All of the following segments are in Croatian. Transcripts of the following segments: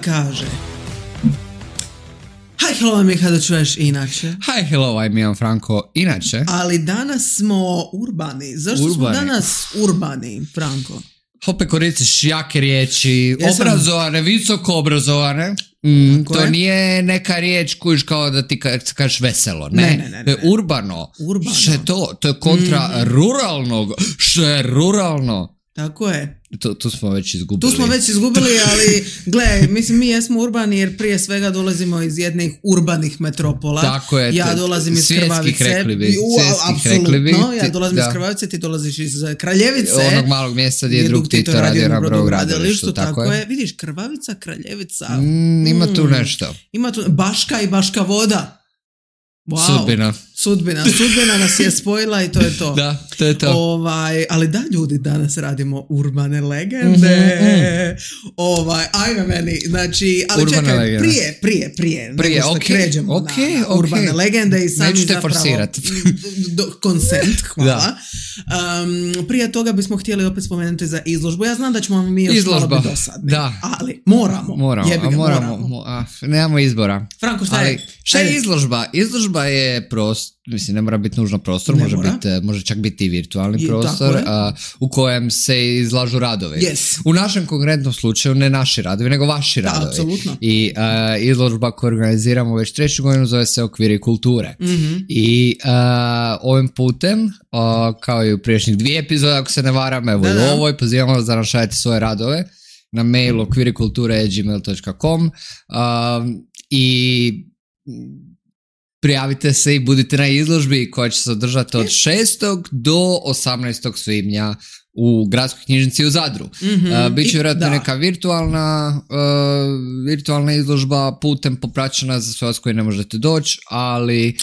kaže hi, hello, mi kada čuješ inače. Hi, hello, I'm Ian Franko, inače. Ali danas smo urbani. Zašto smo danas urbani, Franko? Opet koristiš jake riječi, obrazovane, visoko obrazovane. To je. Nije neka riječ kojiš kao da ti kažeš veselo. Ne. To je urbano. Što je to? To je kontra ruralnog. Što je ruralno? Tako je. Tu smo već izgubili. Ali gle, mislim, mi jesmo urbani jer prije svega dolazimo iz jednih urbanih metropola. Tako je. Ja dolazim iz Krvavice. Apsolutno, ja dolazim iz Krvavice, ti dolaziš iz Kraljevice. Onog malog mjesta gdje je drug Tito radio na brodogradilištu. Tako je. Vidiš, Krvavica, Kraljevica. Ima tu nešto. Ima tu Baška i Baška Voda. Wow. Sudbina nas je spojila i to je to. Da, to je to. Ali da, ljudi, danas radimo urbane legende. Ajme meni, znači, ali urbane čekaj, legende. Prije, kređemo na urbane legende i sami neću te zapravo forsirati. Consent, hvala. Prije toga bismo htjeli opet spomenuti za izložbu. Ja znam da ćemo mi još malo biti dosadni. Da. Ali moramo. Nemamo izbora. Franko, šta je? Šta je izložba? Izložba je prostor, mislim, ne mora biti nužno prostor, može čak biti i virtualni prostor u kojem se izlažu radovi. Yes. U našem konkretnom slučaju ne naši radovi, nego vaši radovi. Apsolutno. I izložba koju organiziramo već 3. godinu zove se Okviri kulture. Mm-hmm. I ovim putem, kao i u prijašnjih 2 epizode, ako se ne varam, evo i ovoj, pozivamo vas da nam šaljete svoje radove na mail okvirikulture@gmail.com i prijavite se i budite na izložbi koja će se održati od 6. do 18. svibnja u Gradskoj knjižnici u Zadru. Mm-hmm. Biće vjerojatno neka virtualna izložba putem popraćena za sve vas koji ne možete doći, ali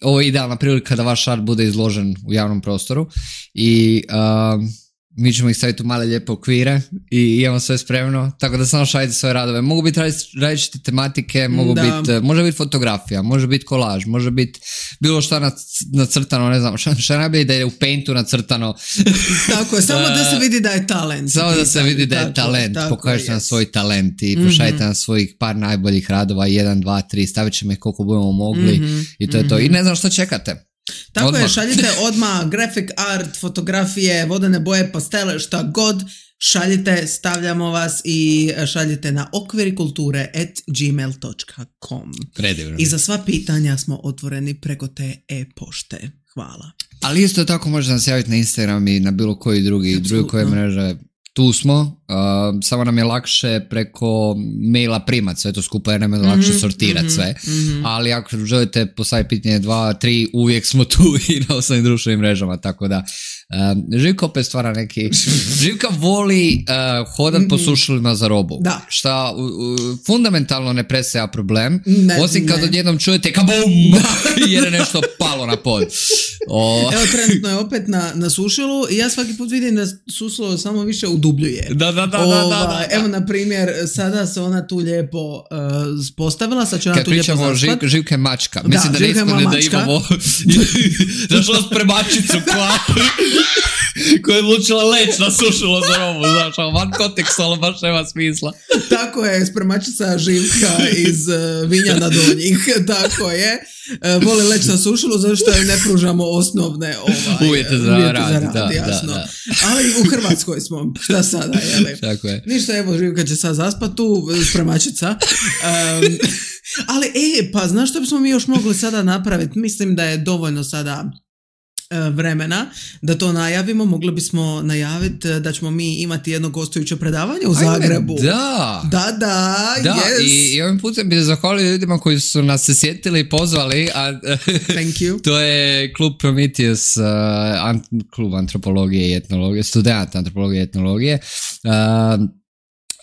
ovo je idealna prilika da vaš art bude izložen u javnom prostoru i mi ćemo ih staviti u male lijepe okvire i imamo sve spremno, tako da samo šaljite svoje radove. Mogu biti različite tematike, može biti fotografija, može biti kolaž, može biti bilo šta nacrtano, ne znam, šta najbolje da je u Paintu nacrtano. Tako je, samo da se vidi da je talent. Samo da se vidi da je talent, pokažite nam svoj talent i pošaljite nam svojih par najboljih radova, 1, 2, 3, stavit ćemo ih koliko budemo mogli i to je to. I ne znam što čekate. Tako odmah. Je, šaljite odmah graphic art, fotografije, vodene boje, pastele, šta god, šaljite, stavljamo vas i šaljite na okvirikulture@gmail.com. Predivno. I za sva pitanja smo otvoreni preko te e-pošte. Hvala. Ali isto tako možete nas javiti na Instagram i na bilo koji druge koje mreže. Tu smo, samo nam je lakše preko maila primat sve to skupa jer nam je lakše sortirati sve, ali ako želite postaviti pitanje 2, 3, uvijek smo tu i na osnovnim društvenim mrežama, tako da Živka opet stvara neki... Živka voli hodat po sušilima za robu, šta fundamentalno ne predstavlja problem, osim kad odjednom čujete kabum jer je nešto palo na pod. Evo, trenutno je opet na sušilu i ja svaki put vidim da sušilo samo više udubljuje. Da. Evo, na primjer, sada se ona tu lijepo postavila, sad će ona tu lijepo zaspat. Kad pričamo Živka je mačka, mislim da ne ispane da imamo zašla spremačicu koja je odlučila leći na sušilo za robu, znaš, van kontekstualno baš nema smisla. Tako je, spremačica Živka iz Vinjana Donjih, tako je. Voli leći na sušilu zato što ne pružamo osnovne uvjete za rad, jasno. Da. Ali u Hrvatskoj smo, šta sada, jeli? Tako je. Ništa, evo, Živka će sad zaspat tu, spremačica. Ali, pa znaš što bismo mi još mogli sada napraviti? Mislim da je dovoljno sada vremena da to najavimo. Mogli bismo najaviti da ćemo mi imati jedno gostujuće predavanje u Zagrebu. Da, yes. I ovim putem bih zahvalio ljudima koji su nas se sjetili i pozvali. Thank you. To je klub Prometheus, klub antropologije i etnologije, student antropologije i etnologije.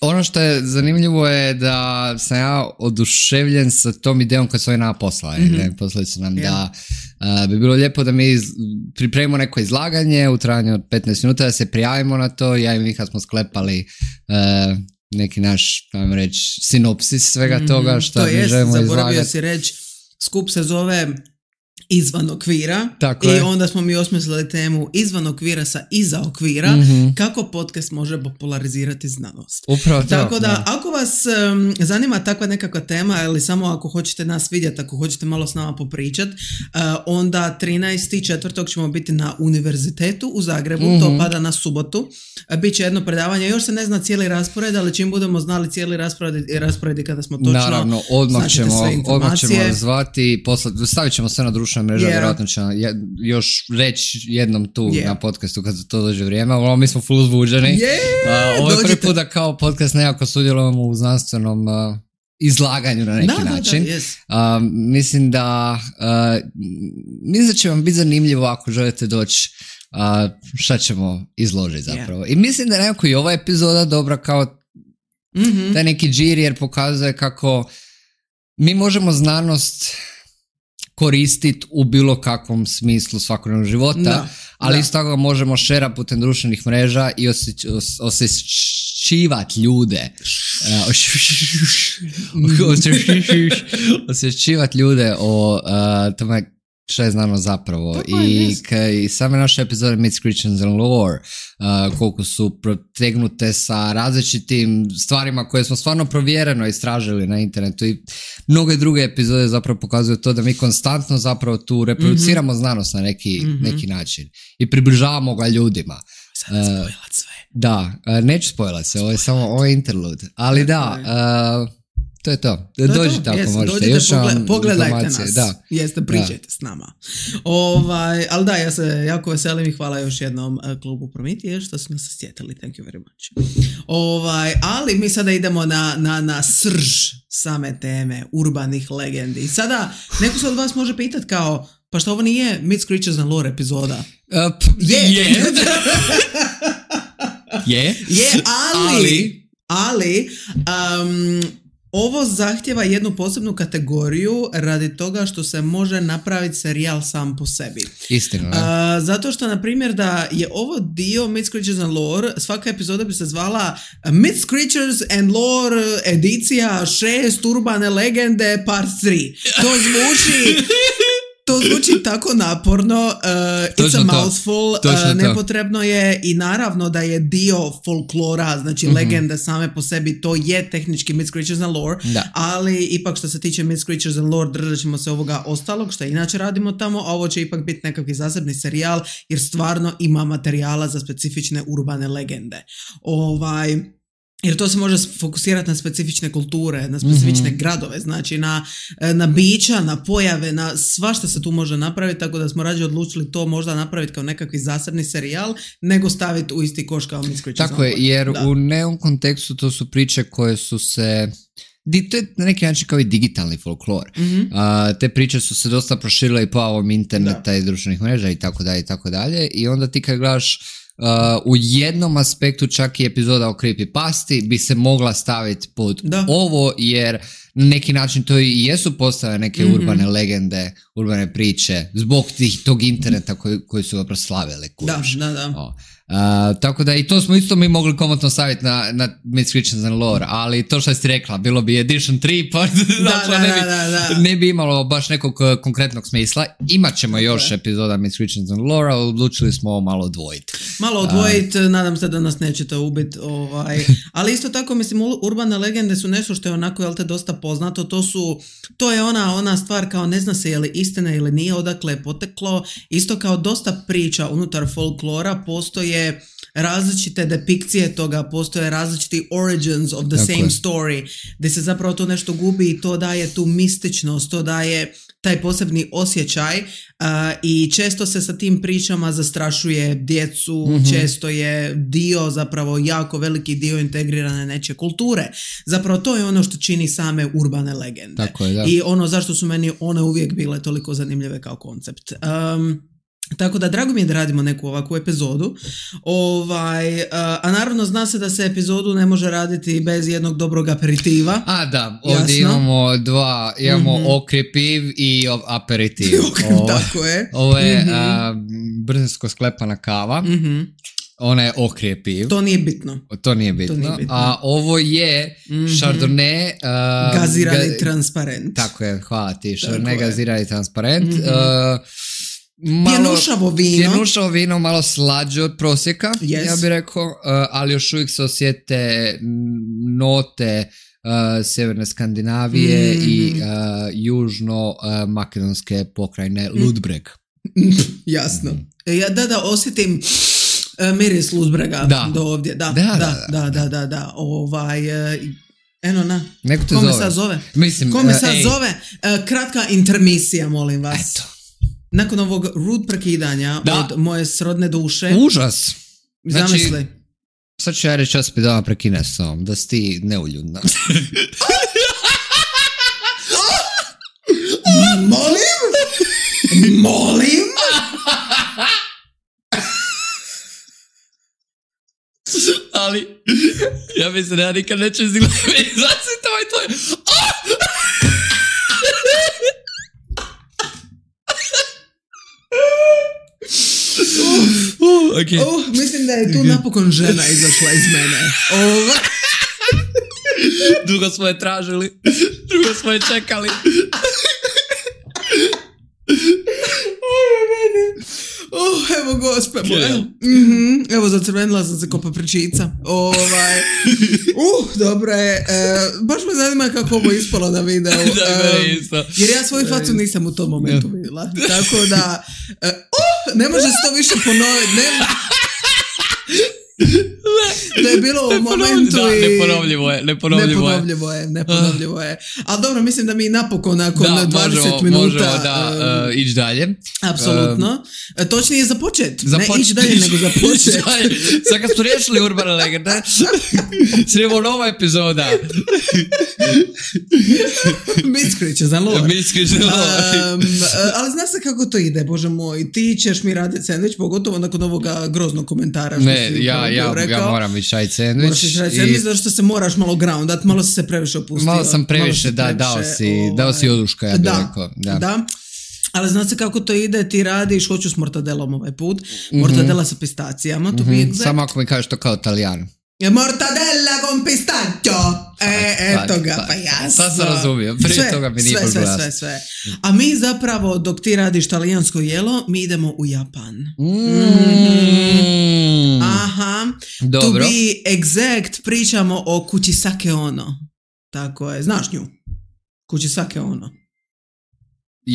Ono što je zanimljivo je da sam ja oduševljen sa tom idejom kad su oni nama poslali. Poslali su nam da bi bilo lijepo da mi pripremimo neko izlaganje u trajanju od 15 minuta, da se prijavimo na to. Ja i Miha smo sklepali neki naš, ajmo reći, sinopsis svega toga što mi želimo izlagati. Zaboravio si reći, skup se zove izvan okvira. Tako I je. onda smo mi osmislili temu izvan okvira sa iza okvira, kako podcast može popularizirati znanost. Upravo to. Tako da, ako vas zanima takva nekakva tema, ili samo ako hoćete nas vidjeti, ako hoćete malo s nama popričat, onda 13.4. ćemo biti na univerzitetu u Zagrebu, to pada na subotu. Biće jedno predavanje, još se ne zna cijeli raspored, ali čim budemo znali cijeli raspored kada smo točno, naravno, odmah ćemo informacije. zvati, stavit ćemo sve na društvene mreže, vjerojatno ćemo još reći jednom tu na podcastu kad to dođe vrijeme, ali mi smo full uzbuđeni. Ovo je prvi put da kao podcast nekako sudjelujemo u znanstvenom izlaganju na neki način. Mislim da će vam biti zanimljivo ako želite doći. Šta ćemo izložiti zapravo. I mislim da je nekako i ova epizoda dobra kao taj neki džir, jer pokazuje kako mi možemo znanost koristiti u bilo kakvom smislu svakodnevnog života, ali isto tako možemo šera putem društvenih mreža i osjećivati ljude. Osjećivati ljude o tome što je znanost zapravo. I same naše epizode Myths, Creatures and Lore, koliko su protegnute sa različitim stvarima koje smo stvarno provjereno istražili na internetu, i mnoge druge epizode zapravo pokazuju to da mi konstantno zapravo tu reproduciramo znanost na neki način i približavamo ga ljudima. Sada spojlat sve. Da, neću spojlat se, ovo je interlude, ali to je to. Dođite ako možete. Dođite, pogledajte nas. Jeste, pričajte s nama. Ali da, ja se jako veselim i hvala još jednom klubu Promitije što su nas sjetili. Thank you very much. Ali mi sada idemo na srž same teme urbanih legendi. I sada neko se od vas može pitati kao, pa što ovo nije Myths, Creatures and Lore epizoda? Ali ovo zahtjeva jednu posebnu kategoriju radi toga što se može napraviti serijal sam po sebi. Istina. Zato što, na primjer, da je ovo dio Myths, Creatures and Lore, svaka epizoda bi se zvala Myths, Creatures and Lore edicija 6 urbane legende part 3. To zvuči tako naporno, it's a mouthful, nepotrebno je, i naravno da je dio folklora, znači legende same po sebi, to je tehnički Myths, Creatures and Lore, ali ipak što se tiče Myths, Creatures and Lore držat ćemo se ovoga ostalog što inače radimo tamo, a ovo će ipak biti nekakvi zasebni serijal jer stvarno ima materijala za specifične urbane legende. Jer to se može fokusirati na specifične kulture, na specifične gradove, znači na bića, na pojave, na svašta se tu može napraviti, tako da smo rađe odlučili to možda napraviti kao nekakvi zasebni serijal, nego staviti u isti koš kao Myths, Creatures. Tako je, jer u neom kontekstu to su priče koje su se... To je na neki način kao i digitalni folklor. Te priče su se dosta proširile i po ovom interneta i društvenih mreža i tako dalje, i onda ti kad gledaš u jednom aspektu čak i epizoda o creepypasti bi se mogla staviti pod ovo, jer na neki način to i jesu postale neke urbane legende, urbane priče zbog tog interneta koji su ga proslavili. Tako da i to smo isto mi mogli komotno staviti na Myths, Creatures and Lore, ali to što si rekla, bilo bi edition 3 pa ne bi imalo baš nekog konkretnog smisla. Imat ćemo još epizoda Myths, Creatures and Lore, ali odlučili smo malo odvojiti. Nadam se da nas nećete ubiti. Ali isto tako, mislim, urbane legende su nešto što je onako, jel te, dosta poznato. To je ona stvar kao ne zna se je li istina ili nije, odakle je poteklo. Isto kao dosta priča unutar folklora, postoje različite depikcije toga, postoje različiti origins of the same story, gdje se zapravo to nešto gubi i to daje tu mističnost, to daje taj posebni osjećaj, i često se sa tim pričama zastrašuje djecu, često je dio, zapravo jako veliki dio integrirane nečije kulture. Zapravo to je ono što čini same urbane legende. Tako je, da. I ono zašto su meni one uvijek bile toliko zanimljive kao koncept. Tako da drago mi je da radimo neku ovakvu epizodu. A naravno zna se da se epizodu ne može raditi bez jednog dobrog aperitiva. Ovdje imamo dva, okrepiv i aperitiv. Tako je. Ovo je brzinsko sklepana kava. ona je okrijepiv. To nije bitno. A ovo je Chardonnay... gazirani transparent. Tako je, hvala ti. Chardonnay gazirani transparent. Pjenušavo vino, malo slađe od prosjeka, ja bih rekao, ali još uvijek se osjete note sjeverne Skandinavije i južno-makedonske pokrajine Ludbreg. Jasno. Da, osjetim miris Ludbrega do ovdje. Da. Eno na. Neko te Kome sad zove? Kome sad zove? Kratka intermisija, molim vas. Eto. Nakon ovog rude prekidanja od moje srodne duše. Užas. Zamisli. Znači, sad ću ja reći da dama prekine s ovom, da si ti neuljudna. Molim? Ali, ja mislim da ja nikad neću izgledati. Znači, to je. Okay. Mislim da je tu napokon žena izašla iz mene. Dugo smo je tražili. Dugo smo je čekali. Evo gospe moja. Evo zacrvenila sam se ko papričica. Dobro je. Baš me zanima kako ovo ispalo na videu. Jer ja svoju facu nisam u tom momentu vidjela. Tako da ne može se to više ponoviti. To je bilo u momentu neponovljivo je. Ali dobro, mislim da mi napokon nakon 20 minuta možemo ići dalje. Apsolutno. Točnije započet. Ne ići dalje, nego započet. Sad kad smo riješili urbane legende, srijemo nova epizoda. Miskriće za lore. Ali zna se kako to ide, bože moj. Ti ćeš mi raditi sandvič, pogotovo nakon ovoga groznog komentara. Ja moram ići raditi sandvič. Moraš ići raditi sandvič zato što se moraš malo groundat, malo si se previše opustio. Malo sam previše, dao si oduška, ja bih rekao. Da. Ali zna se kako to ide, ti radiš, hoću s mortadelom ovaj put. Mortadela sa pistacijama, to bi samo ako mi kažeš to kao Italijan. Mortadella con pistacchio. Eto ga, pa jasno. Sad sam razumio, prije toga mi nije poglasno. Sve. A mi zapravo, dok ti radiš talijansko jelo, mi idemo u Japan. Aha. Dobro. To be exact, pričamo o Kuchisake Ono. Tako je, znaš nju? Kuchisake Ono.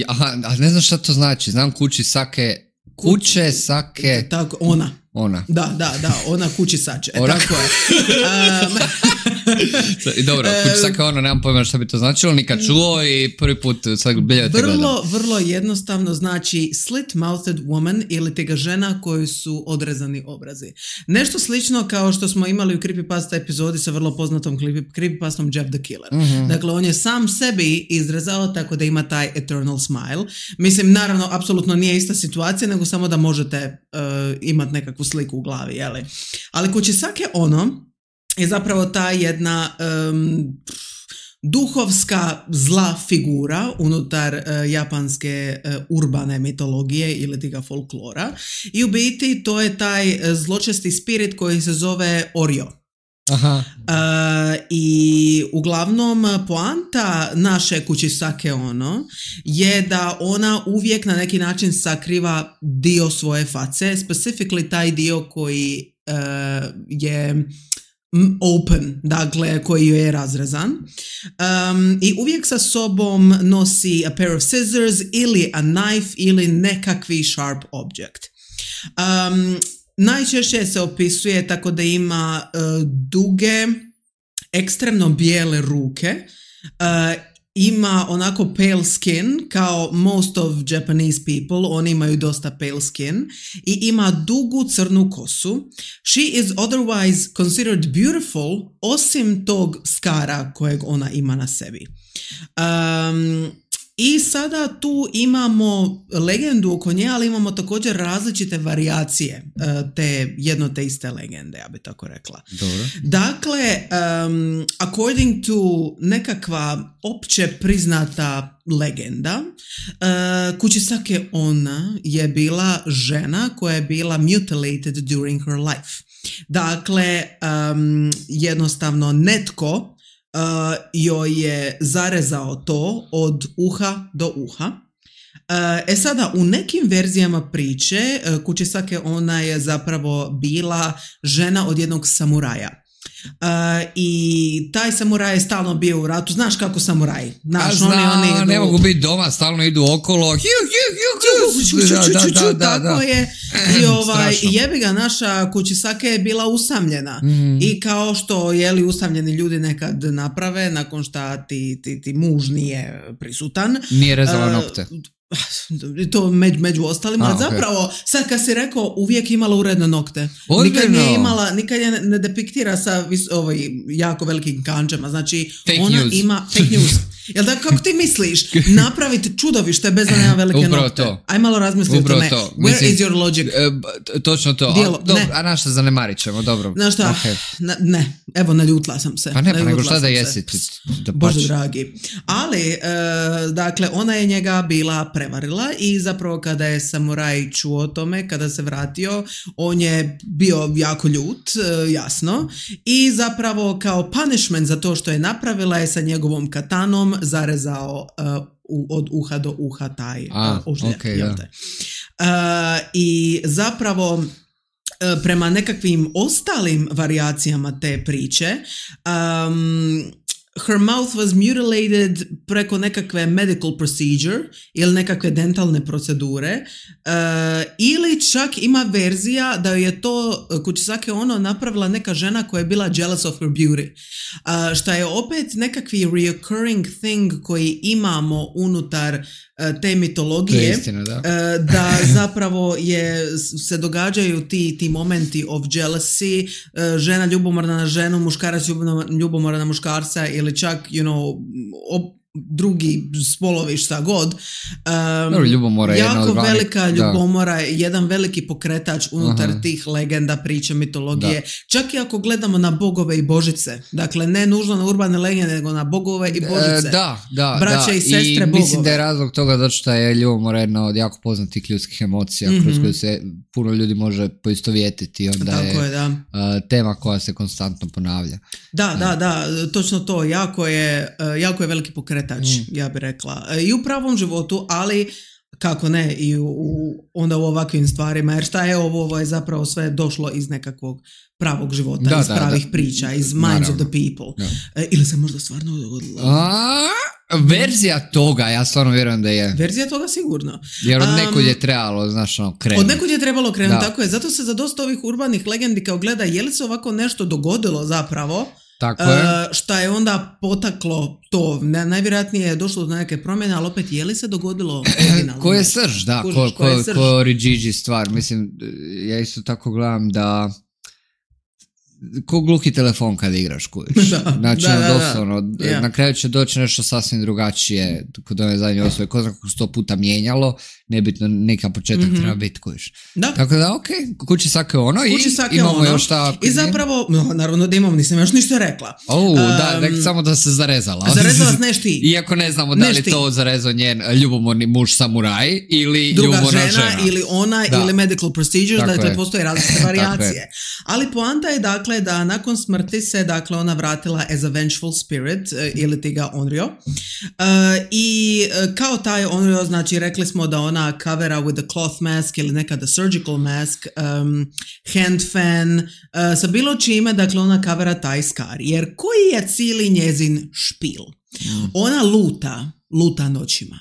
Aha, a ne znam šta to znači. Znam kuće sake. Tako, ona. Da, ona kući sače. Tako je. Dobro, kući sake ono, nemam pojma šta bi to značilo, nikad čuo i prvi put sad biljete gledam. Vrlo jednostavno znači slit-mouthed woman ili tega žena koji su odrezani obrazi. Nešto slično kao što smo imali u Creepypasta epizodi sa vrlo poznatom Creepypastom Jeff the Killer. Dakle, on je sam sebi izrezao tako da ima taj eternal smile. Mislim, naravno, apsolutno nije ista situacija, nego samo da možete imati nekakvu sliku u glavi, jeli? Ali Kuchisake Ono je zapravo ta jedna duhovska zla figura unutar japanske urbane mitologije ili tiga folklora i u biti to je taj zločesti spirit koji se zove Oryo. Aha. I uglavnom poanta naše Kuchisake Ono je da ona uvijek na neki način sakriva dio svoje face, specifically taj dio koji je open, dakle koji je razrezan, i uvijek sa sobom nosi a pair of scissors ili a knife ili nekakvi sharp object. Najčešće se opisuje tako da ima duge, ekstremno bijele ruke, ima onako pale skin kao most of Japanese people, oni imaju dosta pale skin i ima dugu crnu kosu. She is otherwise considered beautiful osim tog skara kojeg ona ima na sebi. I sada tu imamo legendu oko nje, ali imamo također različite varijacije jedno te iste legende, ja bi tako rekla. Dobro. Dakle, according to nekakva opće priznata legenda, Kuchisake Onna je bila žena koja je bila mutilated during her life. Dakle, jednostavno netko joj je zarezao to od uha do uha. Sada, u nekim verzijama priče Kuchisake Onna je zapravo bila žena od jednog samuraja. I taj samuraj je stalno bio u ratu. Znaš kako samuraji? Oni ne mogu biti doma, stalno idu okolo. Tako je. I jebi ga, naša Kuchisake je bila usamljena. I kao što usamljeni ljudi nekad naprave nakon šta ti muž nije prisutan. Nije rezala nokte. To među ostalima, zapravo sad kad si rekao uvijek imala uredne nokte. Nikad je ne depiktira sa jako velikim kanđama, znači fake ona news. Ima fake news. Jel da, kako ti misliš napraviti čudovište bez da nema velike upravo nokte? To. Aj malo razmisli o tome. Where is your logic? Točno to. A našto zanemarit ćemo, dobro. Znaš šta, ne, evo naljutla sam se. Pa ne, pa nego šta da jesi? Bože dragi. Ali, dakle, ona je njega bila prevarila i zapravo kada je samuraj čuo o tome, kada se vratio, on je bio jako ljut, jasno, i zapravo kao punishment za to što je napravila je sa njegovom katanom zarezao od uha do uha taj ožljak. I zapravo prema nekakvim ostalim varijacijama te priče, her mouth was mutilated preko nekakve medical procedure ili nekakve dentalne procedure, ili čak ima verzija da je to Kuchisake Onna napravila neka žena koja je bila jealous of her beauty, što je opet nekakvi reoccurring thing koji imamo unutar te mitologije. Istina, da zapravo se događaju ti momenti of jealousy, žena ljubomorna na ženu, muškarac ljubomorna na muškarca ili čak drugi spolovi šta god. Ljubomora je jako velika ljubomora, jedan veliki pokretač unutar tih legenda, priča, mitologije. Čak i ako gledamo na bogove i božice. Dakle, ne nužno na urbane legende, nego na bogove i božice. Braće i sestre bogove. Mislim da je razlog toga zato što je ljubomora jedna od jako poznatih ljudskih emocija kroz koju se puno ljudi može poistovjetiti. Onda je tema koja se konstantno ponavlja. Da, točno to. Jako je veliki pokretač, ja bih rekla. I u pravom životu, ali kako ne i onda u ovakvim stvarima, jer šta je ovo je zapravo sve došlo iz nekakvog pravog života, iz pravih priča, iz minds of the people. Ili se možda stvarno dogodilo? Verzija toga, ja stvarno vjerujem da je. Verzija toga sigurno. Jer od nekud je trebalo, krenuti. Od nekud je trebalo krenuti, tako je. Zato se za dosta ovih urbanih legendi kao gleda, je li se ovako nešto dogodilo zapravo? Tako je. Šta je onda potaklo to? Najvjerojatnije je došlo do neke promjene, ali opet je li se dogodilo originalno? Ko je srž, da. Ko je Origigi stvar. Mislim, ja isto tako gledam da ko gluhi telefon kad igraš, kuviš. Znači, doslovno, na kraju će doći nešto sasvim drugačije kod ove zadnje osobe. Ko zna kako 100 puta mijenjalo, nebitno, neka početak treba biti, kuviš. Tako da, Kuchisake Onna i imamo još šta... I zapravo, naravno da imamo, nisam još ništa rekla. Samo da se zarezala. Zarezala s neš ti. Iako ne znamo da li to zarezao njen ljubomorni muž samuraj ili druga ljubomorna žena. Ili ona, ili medical procedures, dakle postoje različite varijacije. Ali poanta je dakle da nakon smrti se ona vratila as a vengeful spirit, ili ti ga Onryo. I kao taj Onryo, znači rekli smo da ona covera with a cloth mask ili nekada surgical mask, hand fan, sa bilo čime, dakle ona covera taj skar. Jer koji je cijeli njezin špil? Ona luta noćima.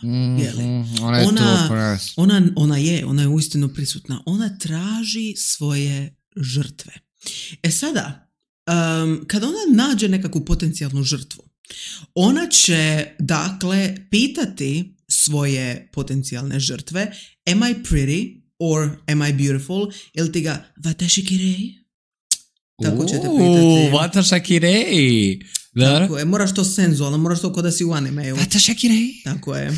Ona je uistinu prisutna. Ona traži svoje žrtve. Sada, kada ona nađe nekakvu potencijalnu žrtvu, ona će, dakle, pitati svoje potencijalne žrtve, am I pretty or am I beautiful, ili ti ga watashi kirei? Tako ćete pitati. Watashi kirei. Tako je, moraš to senzualno, moraš to kod da si u animeju. Vata Shakirei. Tako je.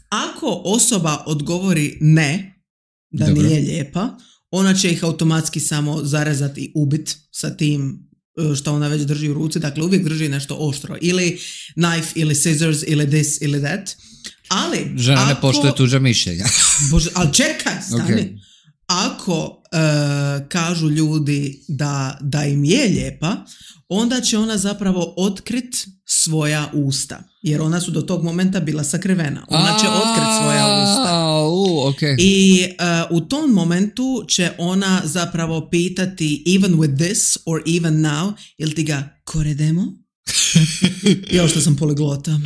Ako osoba odgovori ne, da Dobro. nije lijepa, ona će ih automatski samo zarezati i ubit sa tim što ona već drži u ruci. Dakle, uvijek drži nešto oštro. Ili knife, ili scissors, ili this, ili that. Ali, žena ne poštuje tuđa mišljenja. Bože, ali čekaj, stani. Okay. Ako kažu ljudi da im je lijepa, onda će ona zapravo otkrit svoja usta. Jer ona su do tog momenta bila sakrivena. Ona će otkrit svoja usta. Okay. I u tom momentu će ona zapravo pitati even with this or even now, jel ti ga koredemo? Jo, što sam poliglota.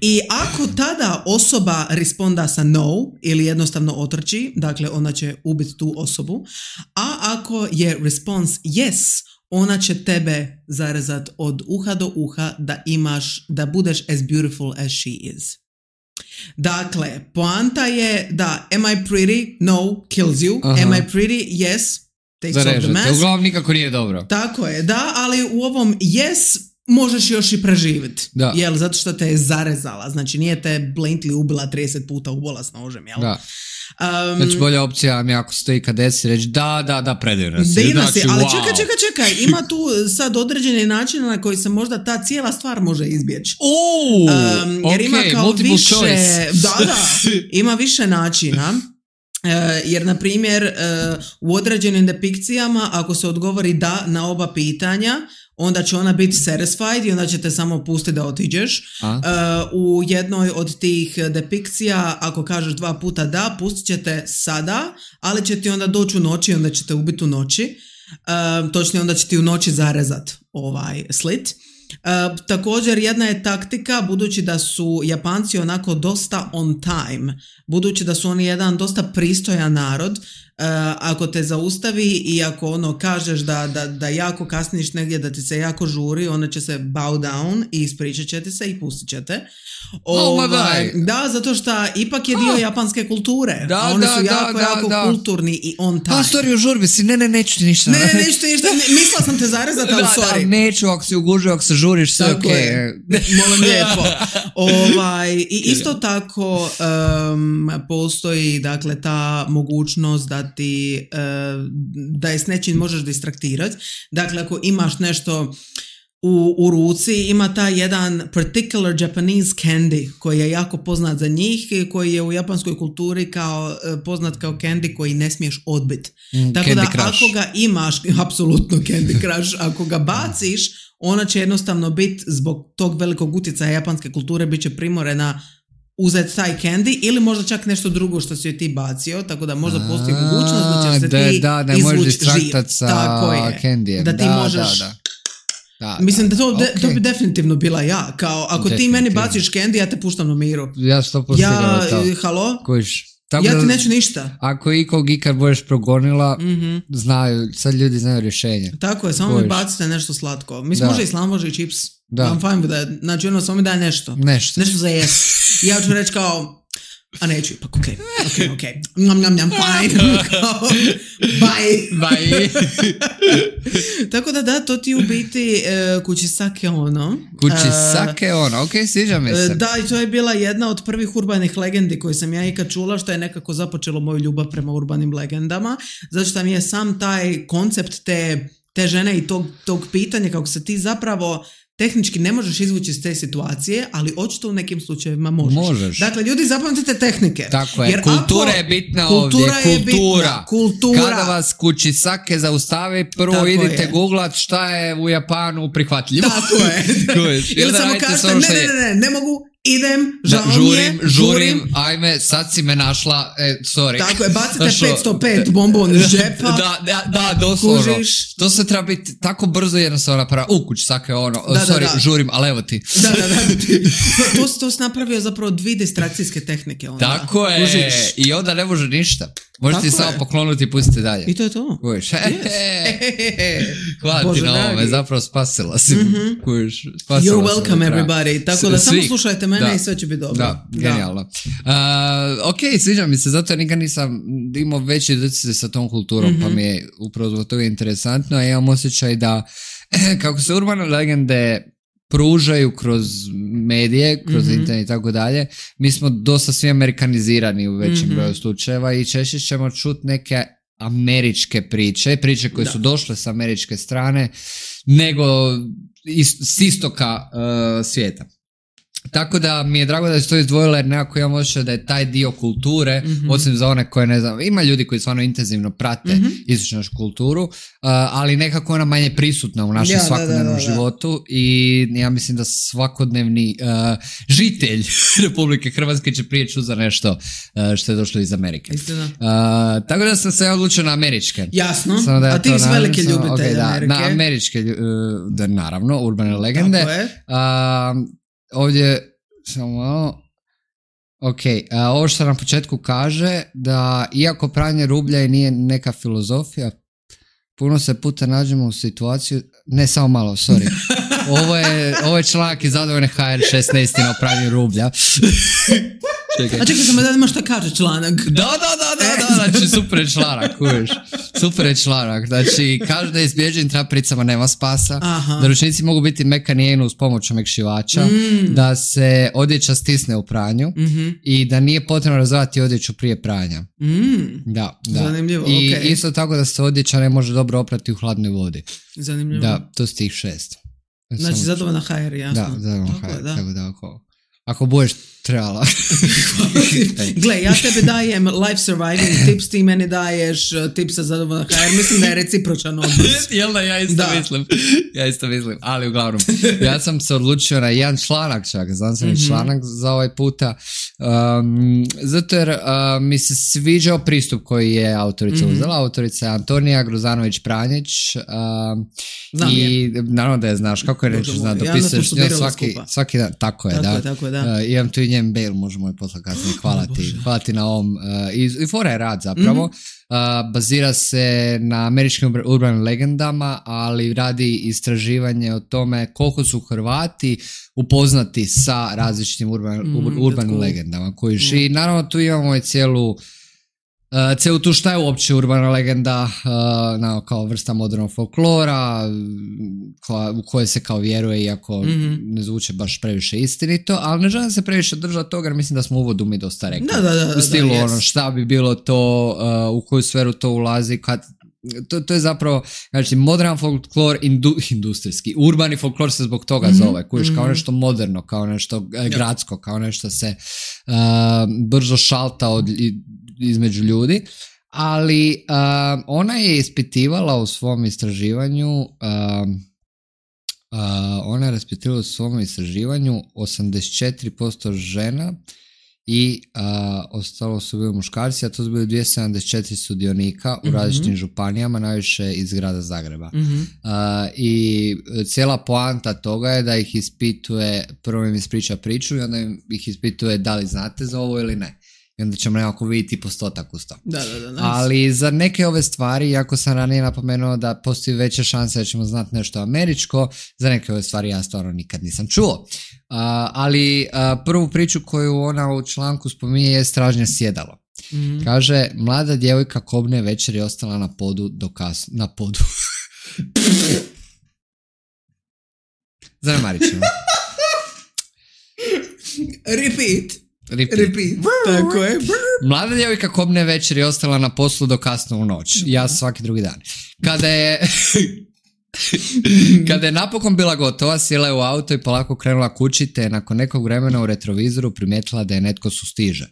I ako tada osoba responda sa no ili jednostavno otrči, dakle ona će ubiti tu osobu, a ako je response yes, ona će tebe zarezat od uha do uha da budeš as beautiful as she is. Dakle, poanta je da am I pretty? No, kills you. Aha. Am I pretty? Yes, takes off the mask. Uglavnom nikako nije dobro. Tako je, da, ali u ovom yes možeš još i preživjeti. Jel, zato što te je zarezala. Znači, nije te blatantly ubila 30 puta u bola s nožem, jel? Da. Znači, bolja opcija mi ako stoji kad desi reći da, predivna si. Divna si, ali wow. čekaj, ima tu sad određeni način na koji se možda ta cijela stvar može izbjeći. Jer ima kao više, da, ima više načina. Jer, na primjer, u određenim depikcijama, ako se odgovori da na oba pitanja, onda će ona biti satisfied i onda će te samo pustiti da otiđeš. U jednoj od tih depikcija, ako kažeš 2 puta da, pustit će te sada, ali će ti onda doći u noći i onda će te ubiti u noći. Točnije, onda će ti u noći zarezat slit. Također, jedna je taktika, budući da su Japanci onako dosta on time, budući da su oni jedan dosta pristojan narod, ako te zaustavi i ako kažeš da jako kasniš negdje, da ti se jako žuri, ona će se bow down i ispričat će ti se i pustit će te. Da, zato što ipak je dio japanske kulture. Oni su jako kulturni i on time. Sorry, u žurbi si, neću ti ništa. Neću ti ništa, mislila sam te zarezati, ali sorry. Neću, ako si ugužio, ako se žuriš, sve ok. Molim lijepo. I isto tako postoji, dakle, ta mogućnost da je s nečim možeš distraktirati. Dakle, ako imaš nešto u ruci, ima taj jedan particular Japanese candy koji je jako poznat za njih, koji je u japanskoj kulturi poznat kao candy koji ne smiješ odbiti. Tako da ako ga imaš, apsolutno Candy Crush, ako ga baciš, ona će jednostavno biti zbog tog velikog utjecaja japanske kulture, bit će primorena uzeti taj candy ili možda čak nešto drugo što si joj ti bacio, tako da možda postoji mogućnost da ćeš se ti izvući živ. Tako je, candijem. Da ti možeš... Mislim da to bi definitivno bila ja. Kao, ako ti meni baciš candy, ja te puštam na miru. Ja 100% halo? Kojiš. Ja ti neću ništa. Ako ikog ikad budeš progonila, sad ljudi znaju rješenje. Tako je, samo mi bacite nešto slatko. Mislim, može i slam, može i čips. I'm fine with that. Znači, samo mi daj nešto. Nešto za jes. Ja ću reći kao, a neću ipak, ok. Njam, fine. Bye. Tako da, to ti u biti Kuchisake ono. Kuchisake ono, ok, sviđa mi se. Da, i to je bila jedna od prvih urbanih legendi koje sam ja ikad čula, što je nekako započelo moju ljubav prema urbanim legendama, zato što mi je sam taj koncept te žene i tog pitanja, kako se ti zapravo tehnički ne možeš izvući iz te situacije, ali očito u nekim slučajevima možeš. Dakle, ljudi, zapamtite tehnike. Tako je, jer kultura je bitna ovdje. Kultura. Kada vas Kuchisake zaustavi, prvo idite googlat šta je u Japanu prihvatljivo. Tako je. Ili samo kažete, ne mogu, idem, žurim, ajme, sad si me našla, sorry. Tako je, bacite 505 bombon iz džepa. Da, doslovno. Kužiš. To se treba biti tako brzo jednostavno napraviti. Kuchisake ono, žurim, ali evo ti. Da. To si napravio zapravo 2 distrakcijske tehnike. Onda. Tako je, kužiš. I onda ne može ništa. Možete ti samo poklonuti i pustiti dalje. I to je to. Kužiš. Hvala ti na ovome, zapravo spasila si. Kužiš. You're welcome everybody. Tako da samo slušajte me mene i sve će biti dobro. Da, genijalno. Ok, sviđa mi se, zato nikad nisam imao veći doticaj sa tom kulturom, pa mi je upravo zbog toga interesantno, a imam osjećaj da kako se urbane legende pružaju kroz medije, kroz internet i tako dalje, mi smo dosta svi amerikanizirani u većem broju slučajeva i češće ćemo čuti neke američke priče koje su došle s američke strane, nego s istoka svijeta. Tako da mi je drago da je to izdvojila, jer nekako imam osjećaj da je taj dio kulture, osim za one koje ne znam, ima ljudi koji stvarno intenzivno prate istočnu kulturu, ali nekako ona manje prisutna u našem svakodnevnom životu i ja mislim da svakodnevni žitelj Republike Hrvatske će prije čuti za nešto što je došlo iz Amerike. Tako da sam se odlučio na američke. Jasno, a ti si veliki ljubitelj Amerike. Na američke, naravno, urbane legende. Tako je. Ovdje samo malo. Ok, ovo što na početku kaže da iako pranje rublja i nije neka filozofija, puno se puta nađemo u situaciju, ne samo malo, sorry. Ovo je članak iz Zadovoljne HR16 o pranju rublja. A čekaj samo da ima šta kaže članak. Da, znači super je članak, kuviš. Super je članak, znači kaže da izbjeđenim trapiricama nema spasa, da ručnici mogu biti mekani uz pomoć omekšivača, da se odjeća stisne u pranju i da nije potrebno razvati odjeću prije pranja. Da. Zanimljivo, i isto tako da se odjeća ne može dobro oprati u hladnoj vodi. Zanimljivo. Da, to su tih 6. Znači Zadovoljna HR, jasno. Da, Zadovoljna HR, tako da ako budeš trebala. Gle, ja tebe dajem life surviving tips, ti meni daješ tips za Zadovoljna HR, mislim da je recipročan odnos. Jel da, ja isto mislim, ali uglavnom, ja sam se odlučio na jedan članak čak, znanstveni članak za ovaj puta, zato jer mi se sviđao pristup koji je autorica uzela, autorica je Antonija Grozanović-Pranjić, i naravno da je znaš, kako je reći, dopisuješ svaki dan, tako je, da. Imam tu i njen mail, možemo je poslati kasnije, hvala ti na ovom, i fora je rad zapravo, bazira se na američkim urbanim legendama, ali radi istraživanje o tome koliko su Hrvati upoznati sa različitim urbanim legendama koji i naravno tu imamo i cijelu tu šta je uopće urbana legenda, kao vrsta modernog folklora u koje se kao vjeruje, iako ne zvuče baš previše istinito, ali ne želim se previše držati toga jer mislim da smo u uvodu mi dosta rekli u stilu šta bi bilo to, u koju sferu to ulazi, to je zapravo, znači, modern folklor, industrijski, urbani folklor se zbog toga zove, kojiš kao nešto moderno, kao nešto gradsko, kao nešto se brzo šalta između ljudi, ali ona je ispitivala u svom istraživanju 84% žena i ostalo su bili muškarci, a to su bili 274 sudionika u različitim županijama, najviše iz grada Zagreba. I cijela poanta toga je da ih ispituje, prvo im ispriča priču i onda ih ispituje da li znate za ovo ili ne. I onda ćemo nekako vidjeti postotak uz to. Da, nice. Ali za neke ove stvari, iako sam ranije napomenuo da postoji veća šansa da ćemo znati nešto američko, za neke ove stvari ja stvarno nikad nisam čuo. Ali prvu priču koju ona u članku spominje je stražnje sjedalo. Kaže, mlada djevojka kobne večer je ostala na podu do kasno. Na podu. Zanemarit ćemo. Repeat. Tako je. Mlada djevojka kobne večer je ostala na poslu do kasno u noć. Ja svaki drugi dan. Kada je napokon bila gotova, sjela je u auto i polako krenula kući, te nakon nekog vremena u retrovizoru primijetila da je netko sustiže.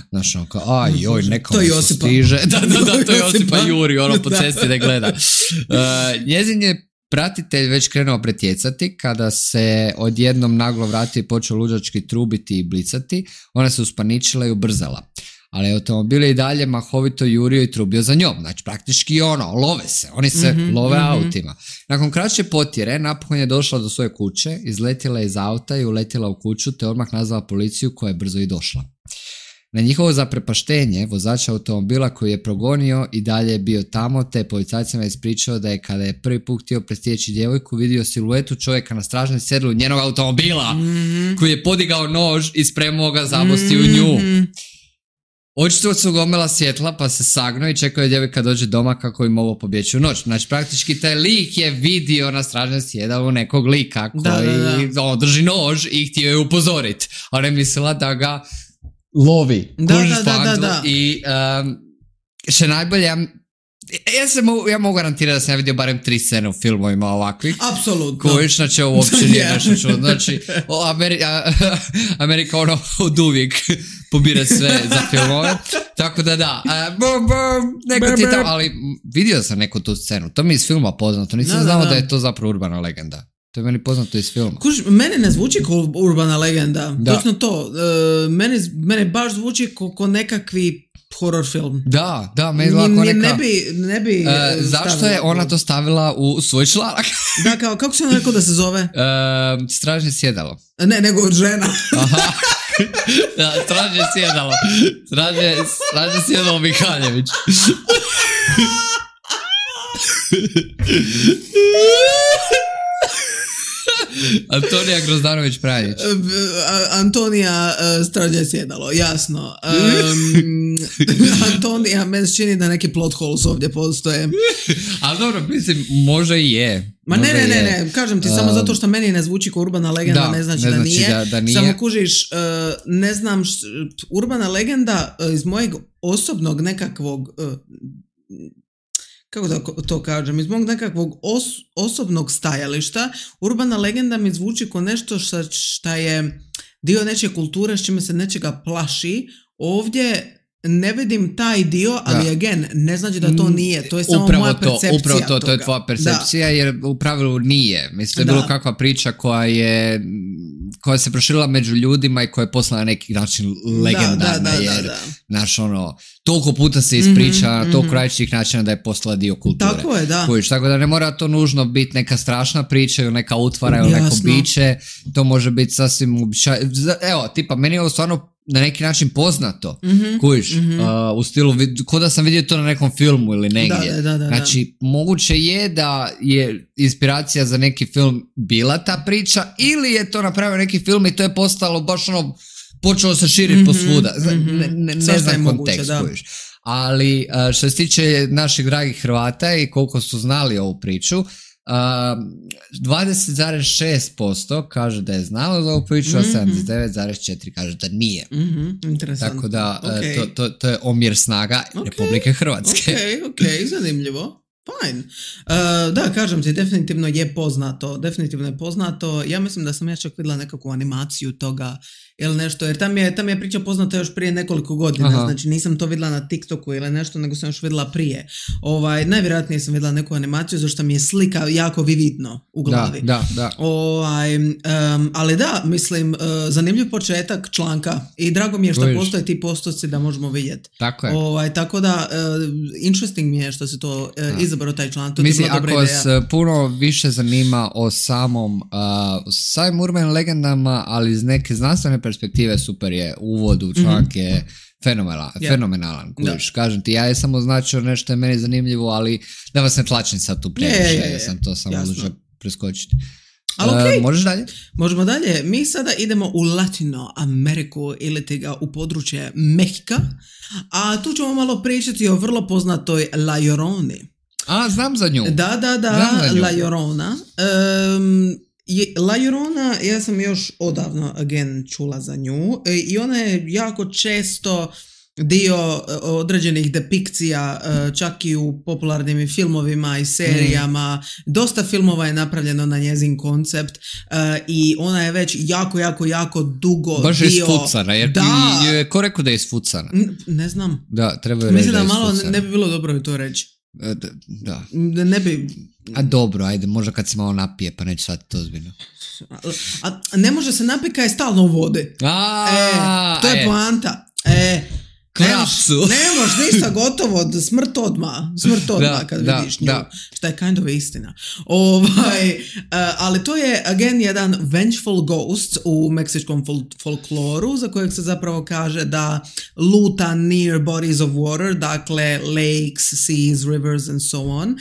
Znaš, ono kao, neko sustiže. Da, to je Josipa Juri, po cesti da gleda. Njezin je pratitelj već krenuo pretjecati, kada se odjednom naglo vratio i počeo luđački trubiti i blicati, ona se uspaničila i ubrzala. Ali automobil je i dalje mahovito jurio i trubio za njom. Znači, praktički love se. Oni se love autima. Nakon kraće potjere, napokon je došla do svoje kuće, izletjela iz auta i uletjela u kuću, te odmah nazvala policiju koja je brzo i došla. Na njihovo zaprepaštenje, vozač automobila koji je progonio i dalje je bio tamo, te policajcima je ispričao da je kada je prvi put htio prestijeći djevojku vidio siluetu čovjeka na stražnjem sjedlu njenog automobila koji je podigao nož i spremao ga zabosti u nju. Očito su gomila svjetla pa se sagnuo i čekao je djevojka dođe doma kako bi mogao pobjeći u noć. Znači praktički taj lik je vidio na stražnjem sjedalu nekog lika koji drži nož i htio je upozoriti. A ne mislila da ga lovi. Da. I što najbolje, ja mogu garantirati da sam ja vidio barem 3 scene u filmovima ovakvih. Apsolutno. Kojiš, znači ovo uopće nije nešto čudno. Znači, Amerika ono od uvijek pobira sve za filmove. Tako da. Neko ti tamo, ali vidio sam neku tu scenu. To mi je iz filma poznato. Nisam znao da je to zapravo urbana legenda. To je meni poznato iz filma. Mene ne zvuči kao urbana legenda. Točno to. Mene baš zvuči kao nekakvi horror film. Da, meni lako neka... Ne bi zašto je ona to stavila u svoj članak? Da, kako se ona rekao da se zove? Stražnje sjedalo. Ne, nego žena. Aha. Da, stražnje sjedalo. Stražnje sjedalo Mihaljević. Antonija Grozdanović-Pranjić. Antonija stražnje sjedalo, jasno. Antonija, meni se čini da neki plot holes ovdje postoje. Ali dobro, mislim, može i je. Ma ne, kažem ti, samo zato što meni ne zvuči kao urbana legenda, ne znači da nije. Da nije. Samo kužiš, ne znam, urbana legenda iz mojeg osobnog nekakvog... kako da to kažem, iz mog nekakvog osobnog stajališta, urbana legenda mi zvuči kao nešto što je dio nečije kulture, s čime se nečega plaši. Ovdje ne vidim taj dio, ali again, ne znači da to nije. To je samo moja percepcija. Upravo to je tvoja percepcija, jer u pravilu nije. Mislim, bilo kakva priča koja se proširila među ljudima i koja je postala na neki način legendarna, jer znaš, toliko puta se ispriča na toliko različitih načina da je postala dio kulture. Tako je, da. Tako da ne mora to nužno biti neka strašna priča ili neka utvara ili neko biće. To može biti sasvim uobičajeno. Evo, tipa, meni je ovo stvarno na neki način poznato, u stilu, ko da sam vidio to na nekom filmu ili negdje. Znači, moguće je da je inspiracija za neki film bila ta priča, ili je to napravio neki film i to je postalo baš počelo se širiti posvuda. Ne znam kontekst, ali što se tiče naših dragih Hrvata i koliko su znali ovu priču, 20,6% kaže da je znalo za ovu priču, a 79,4% kaže da nije. Interesantno. Tako da to je omjer snaga Republike Hrvatske. Ok, zanimljivo. Fine. Da, kažem ti, definitivno je poznato. Ja mislim da sam ja čak vidjela nekakvu animaciju toga ili nešto, jer tam je priča poznata još prije nekoliko godina. Aha. Znači nisam to vidjela na TikToku ili nešto, nego sam još vidjela prije. Najvjerojatnije sam vidjela neku animaciju zašto mi je slika jako vividno u glavi. Da. Ali da, mislim, zanimljiv početak članka i drago mi je što postoje ti postoci da možemo vidjeti. Tako je. Tako da, interesting mi je što se to izabrao taj član. Mislim, ako vas puno više zanima o samim urbanim legendama, ali iz neke znanstvene perspektive, super je, uvod u članak je fenomenalan. Kažem ti, ja je samo označio nešto je meni zanimljivo, ali da vas ne tlačim sad tu previše, sam to samo odlučio preskočiti. Okay. Možeš dalje? Možemo dalje. Mi sada idemo u Latino Ameriku ili u područje Mehika, a tu ćemo malo pričati o vrlo poznatoj La Lloroni. Znam za nju. Da, La Llorona. La Llorona, ja sam još odavno čula za nju i ona je jako često dio određenih depikcija, čak i u popularnim filmovima i serijama. Dosta filmova je napravljeno na njezin koncept i ona je već jako dugo baš je isfucana, jer ko rekao da je isfucana? Ne znam. Da, treba reći da je isfucana. Mislim da malo ne bi bilo dobro to reći. Da. Ne bi... A dobro, ajde, možda kad se malo napije, pa neće shvatiti to ozbiljno. A ne može se napiti kad je stalno u vodi. To je poanta. Krapsu. Nemaš ništa, gotovo, smrt odmah kad vidiš nju, što je kind of istina. Ali to je, again, jedan vengeful ghost u meksičkom folkloru, za kojeg se zapravo kaže da luta near bodies of water, dakle lakes, seas, rivers and so on,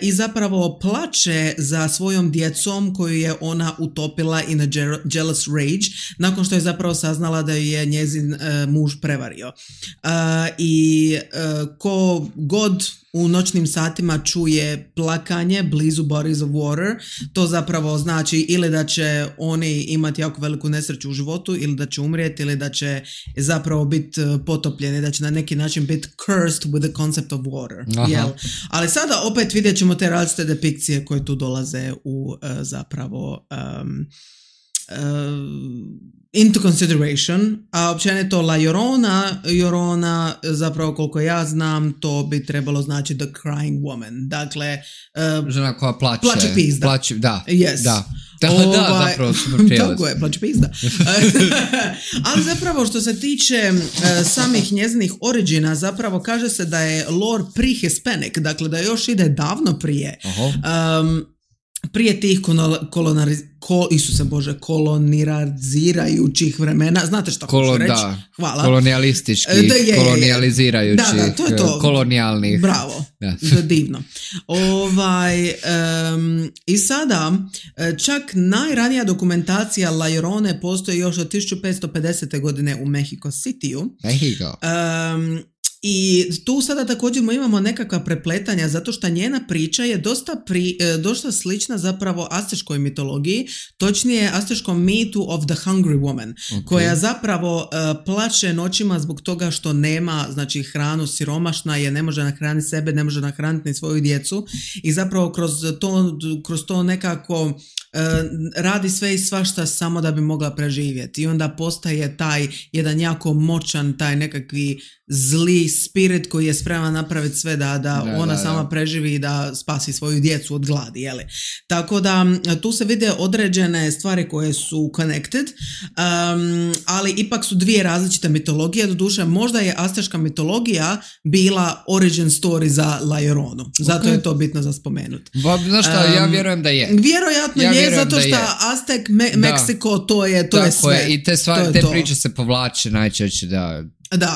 i zapravo plače za svojom djecom koju je ona utopila in a jealous rage, nakon što je zapravo saznala da ju je njezin muž prevario. I ko god u noćnim satima čuje plakanje blizu bodies of water, to zapravo znači ili da će oni imati jako veliku nesreću u životu, ili da će umrijeti, ili da će zapravo biti potopljeni, da će na neki način biti cursed with the concept of water. Jel? Ali sada opet vidjet ćemo te različite depikcije koje tu dolaze u zapravo into consideration, a općenito La Llorona, zapravo koliko ja znam, to bi trebalo znači the crying woman, dakle žena koja plače pizda. Yes. Da, zapravo super prijelaz. Tako je, plače pizda. Ali zapravo što se tiče samih njezinih origina, zapravo kaže se da je lore pre-Hispanic, dakle da još ide davno prije. Prije tih kolonizirajućih vremena, znate što hoću reći? Hvala. Kolonijalistički, kolonijalizirajućih, to je to. Kolonijalnih. Bravo, divno. I sada, čak najranija dokumentacija La Llorone postoji još od 1550. godine u Mexico Cityu. Mexico. I tu sada također imamo nekakva prepletanja zato što njena priča je dosta slična zapravo asteškoj mitologiji, točnije asteškom mitu of the hungry woman, koja zapravo plače noćima zbog toga što nema znači hranu, siromašna je, ne može nahraniti sebe, ne može nahraniti ni svoju djecu i zapravo kroz to nekako radi sve i svašta samo da bi mogla preživjeti i onda postaje taj jedan jako moćan, taj nekakvi zli spirit koji je spreman napraviti sve da ona sama preživi i da spasi svoju djecu od gladi, jeli? Tako da tu se vide određene stvari koje su connected, ali ipak su dvije različite mitologije, doduše možda je azteška mitologija bila origin story za La Lloronu, zato je to bitno za spomenuti. Znaš šta, ja vjerujem da je. Vjerojatno je, zato što Aztek, Meksiko, to je sve. I te priče se povlače najčešće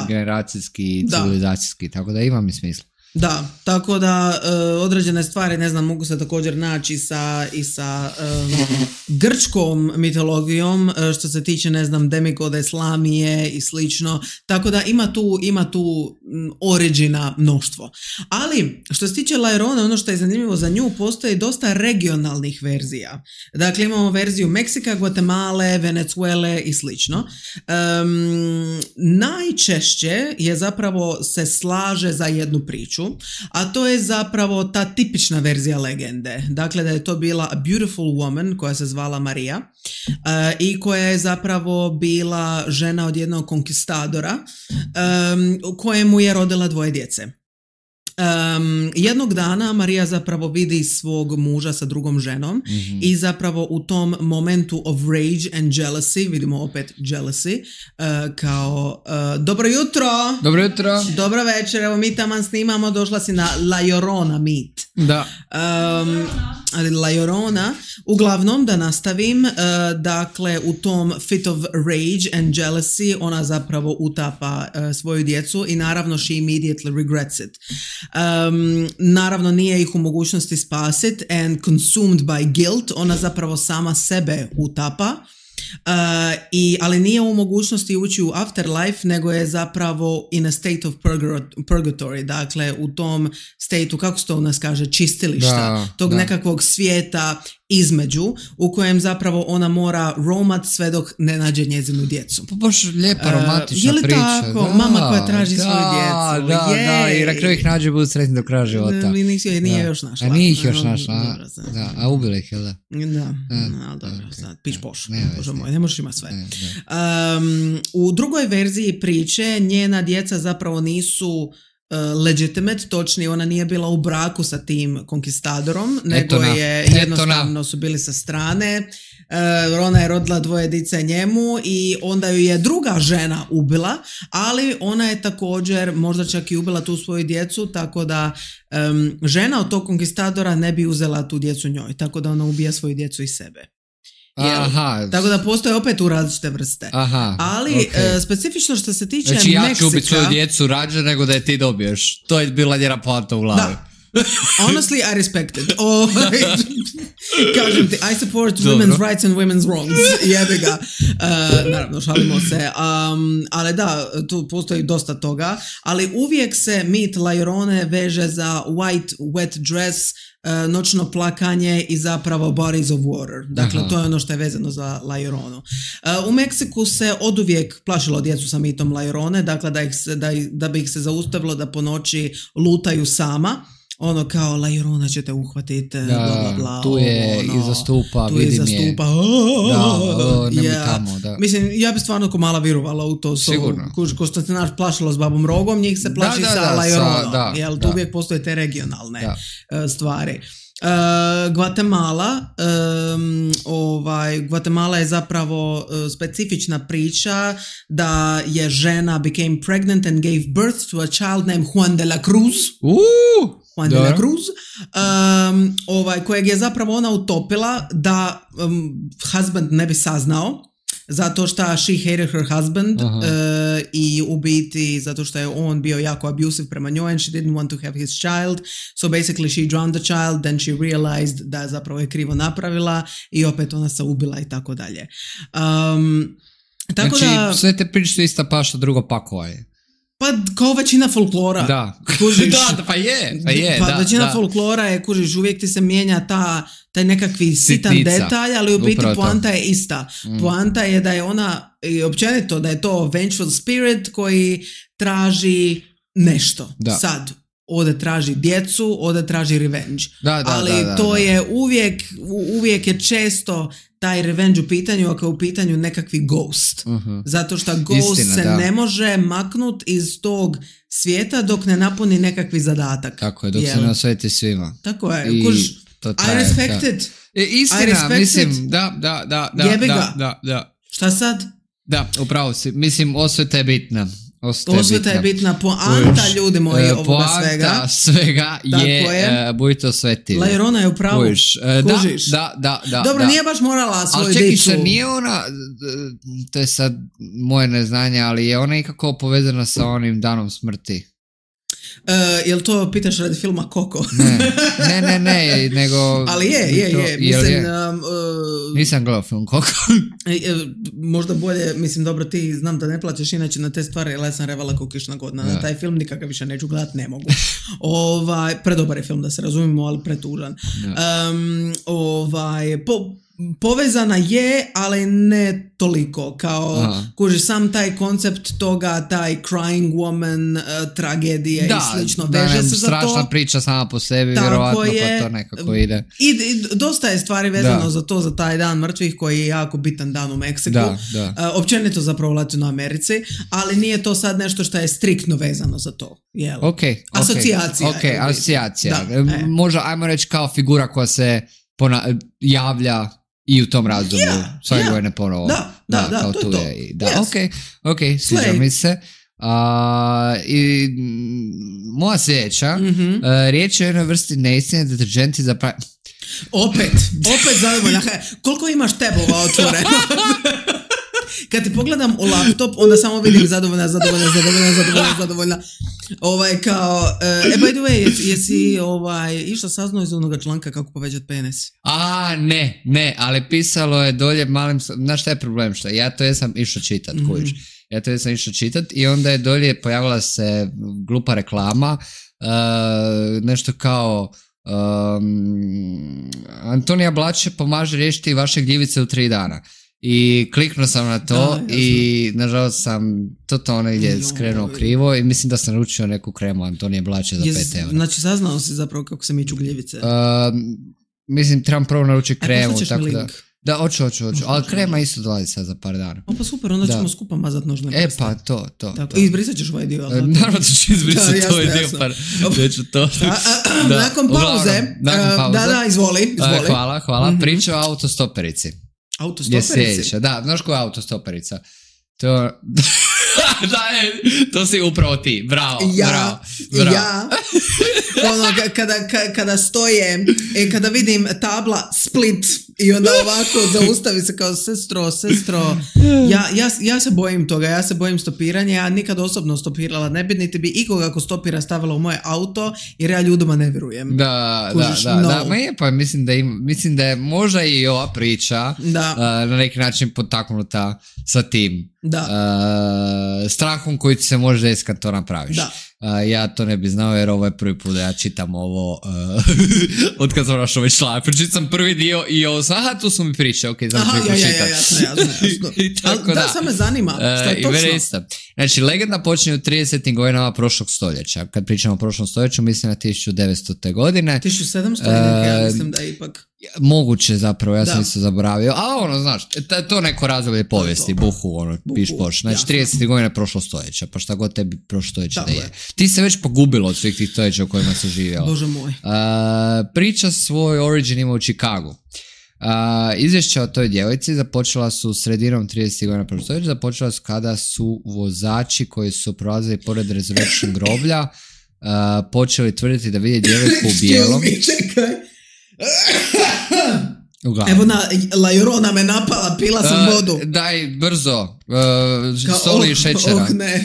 generacijski, civilizacijski, tako da ima mi smisla. Da, tako da određene stvari, ne znam, mogu se također naći i sa grčkom mitologijom, što se tiče, ne znam, demigode, slamije i slično, tako da ima tu origina mnoštvo. Ali, što se tiče La Llorone, ono što je zanimljivo za nju, postoji dosta regionalnih verzija. Dakle, imamo verziju Meksika, Guatemala, Venezuele i slično. Najčešće je zapravo se slaže za jednu priču, a to je zapravo ta tipična verzija legende. Dakle, da je to bila a beautiful woman koja se zvala Maria i koja je zapravo bila žena od jednog konkistadora kojemu je rodila 2 djece. Jednog dana Marija zapravo vidi svog muža sa drugom ženom i zapravo u tom momentu of rage and jealousy, vidimo opet jealousy, kao dobro jutro, dobro večer, evo mi taman snimamo, došla si na La Llorona meet. Da. La Llorona, uglavnom da nastavim, dakle u tom fit of rage and jealousy ona zapravo utapa svoju djecu i naravno she immediately regrets it. Naravno nije ih u mogućnosti spasiti and consumed by guilt, ona zapravo sama sebe utapa. Ali nije u mogućnosti ući u afterlife, nego je zapravo in a state of purgatory, dakle u tom stateu, kako se to u nas kaže, čistilišta, tog nekakvog svijeta između, u kojem zapravo ona mora romat sve dok ne nađe njezinu djecu. Pa baš lijepa romantična priča. Je li tako? Mama koja traži svoju djecu. Da, i na kraju ih nađe, budu sretni do kraja života. Nije još našla. A nije ih još našla, a ubila ih, jel da? Da, ali dobro, sad, piš poš. Bože moj, ne možeš imati sve. U drugoj verziji priče njena djeca zapravo nisu legitimate, točnije ona nije bila u braku sa tim konkistadorom, nego je jednostavno su bili sa strane. Ona je rodila 2 dice njemu i onda ju je druga žena ubila, ali ona je također možda čak i ubila tu svoju djecu, tako da žena od tog konkistadora ne bi uzela tu djecu njoj, tako da ona ubija svoju djecu i sebe. Aha. Tako da postoje opet u različite vrste. Aha, ali okay. Specifično što se tiče Meksika... Znači ja ću ubiti svoju djecu rađe nego da je ti dobiješ. To je bila njena poanta u glavi. Da. Honestly, I respect it. Kažem ti, I support women's rights and women's wrongs. Jebi ga. Naravno, šalimo se. Ali da, tu postoji dosta toga. Ali uvijek se mit La Llorone veže za white wet dress, noćno plakanje i zapravo bodies of water. Dakle, to je ono što je vezano za La Lloronu. U Meksiku se oduvijek plašilo djecu sa mitom La Llorone, dakle da bi ih se zaustavilo da po noći lutaju sama. Ono kao La Llorona će te uhvatiti, bla bla bla. Tu je iza stupa, vidim je. Nemoj tamo, da. Mislim, ja bi stvarno ko mala vjerovala u to. Sigurno. Ko što se naš plašilo s babom Rogom, njih se plaši sa La Lloronom. Jel, tu uvijek postoje te regionalne stvari. Guatemala Guatemala je zapravo specifična priča da je žena became pregnant and gave birth to a child named Juan de la Cruz. Juan de la Cruz, kojeg je zapravo ona utopila da husband ne bi saznao, zato što she hated her husband i u biti zato što je on bio jako abusive prema njoj and she didn't want to have his child, so basically she drowned the child, then she realized da zapravo je krivo napravila i opet ona se ubila i tako dalje. Tako znači, da, sve te priče su ista paša, drugo pakova je. Pa kao većina folklora. Da. Kužiš, većina folklora je, kužiš, uvijek ti se mijenja taj nekakvi sitan detalj, ali u biti poanta je ista. Poanta je da je ona, općenito, da je to vengeful spirit koji traži nešto. Sad, ode traži djecu, ode traži revenge. Ali to je uvijek je često taj revenge u pitanju, ako je u pitanju nekakvi ghost. Zato što ghost se ne može maknut iz tog svijeta dok ne napuni nekakvi zadatak. Tako je, dok se ne osveti svima. Tako je. I respect it. Istina, mislim, da. Jebi ga. Šta sad? Da, upravo si. Mislim, osveta je bitna. Osveta je bitna. Poanta, ljudi moji, ovoga svega. Poanta svega je budite osvetili. La Llorona je u pravu. Kužiš. Da. Dobro, nije baš morala svoju dicu. Ali čekaj, nije ona, to je sad moje neznanje, ali je ona ikako povezana sa onim danom smrti. Jel to pitaš radi filma Coco? Ne, nego... Ali je. Mislim, nisam gledao film Coco. Možda bolje, mislim, dobro, ti znam da ne plaćeš inače na te stvari, ali ja sam revala ko kišna godina. Na taj film nikakav više neću gledat, ne mogu. Predobar je film, da se razumimo, ali pretužan. Povezana je, ali ne toliko, kao kuži sam taj koncept toga, taj crying woman, tragedija i slično, veže se za to. Strašna priča sama po sebi, vjerovatno pa to nekako ide. I dosta je stvari vezano za to, za taj dan mrtvih koji je jako bitan dan u Meksiku. Općenito zapravo u Latinoamerici, ali nije to sad nešto što je striktno vezano za to. Asocijacija. Možda, ajmo reći, kao figura koja se javlja i u tom razdoblju, svake godine ponovo. Da, to je to. Ok, sviđa mi se. I moja sljedeća, riječ je o jednoj vrsti neistine, deterđenti za Opet zadovoljna. Koliko imaš tabova otvoreno? Kad ti pogledam u laptop, onda samo vidim zadovoljna. By the way, jesi išla saznao iz onoga članka kako povećat penis? Ne, ali pisalo je dolje malim, znaš šta je problem, šta? Ja to jesam išao čitat, i onda je dolje pojavila se glupa reklama, nešto kao Antonija Blače pomaže riješiti vaše gljivice u 3 dana. I kliknuo sam na to i nažalost sam totalno negdje skrenuo krivo i mislim da sam naručio neku kremu Antonije Blače za 5 eura. Znači saznao si zapravo kako se miču gljivice? Mislim trebam prvo naručiti kremu, tako da... Da, hoću, ali krema isto dolazi sad za par dana. Pa super, onda ćemo skupa mazat nožne prste. Pa to. I izbrisat ćeš ovaj dio. Naravno da ću izbrisati ovaj dio, pa neću to. Nakon pauze. Da, izvoli. Hvala. Priča o autostoperici. Autostoperici? Da, znaš koja je autostoperica? To si upravo ti, bravo. Ja, kada stoje, kada vidim tabla Split i onda ovako zaustavi se kao sestro, ja se bojim toga, ja se bojim stopiranja, ja nikad osobno stopirala ne bi, niti bi ikoga ako stopira stavila u moje auto, jer ja ljudima ne vjerujem. Da, pa mislim da je možda i ova priča na neki način potaknuta sa tim strahom koji ti se može desiti kad to napraviš. Ja to ne bi znao jer ovo je prvi put da ja čitam ovo od kad sam našao ovaj članak. Pročitam sam prvi dio i ovo sam, tu su mi priče, ok, znam ću pročitati. Jasno. Da, sad me zanima, što je točno? Znači, legenda počinje u 30. godinama prošlog stoljeća. Kad pričamo o prošlom stoljeću, mislim na 1900. godine. 1700. Ja mislim da ipak... Moguće zapravo, ja sam isto zaboravio. A znaš, to neko razdoblje povijesti, buhu, piš poš. Znači, 30. godina prošlo stoljeća, pa šta god tebi prošlo stoljeća da je. Ti se već pogubilo od svih tih stoljeća u kojima se živjelo. Bože moj. Priča svoj origin ima u Chicagu. Izvješća o toj djevojci započela su sredinom 30. godina prošlog stoljeća, započela su kada su vozači koji su prolazili pored Resurrection groblja počeli tvrditi da vide djevojku u bijelom. Čekaj. Evo La Llorona me napala, pila sam vodu. Daj, brzo, soli i šećera. Ne,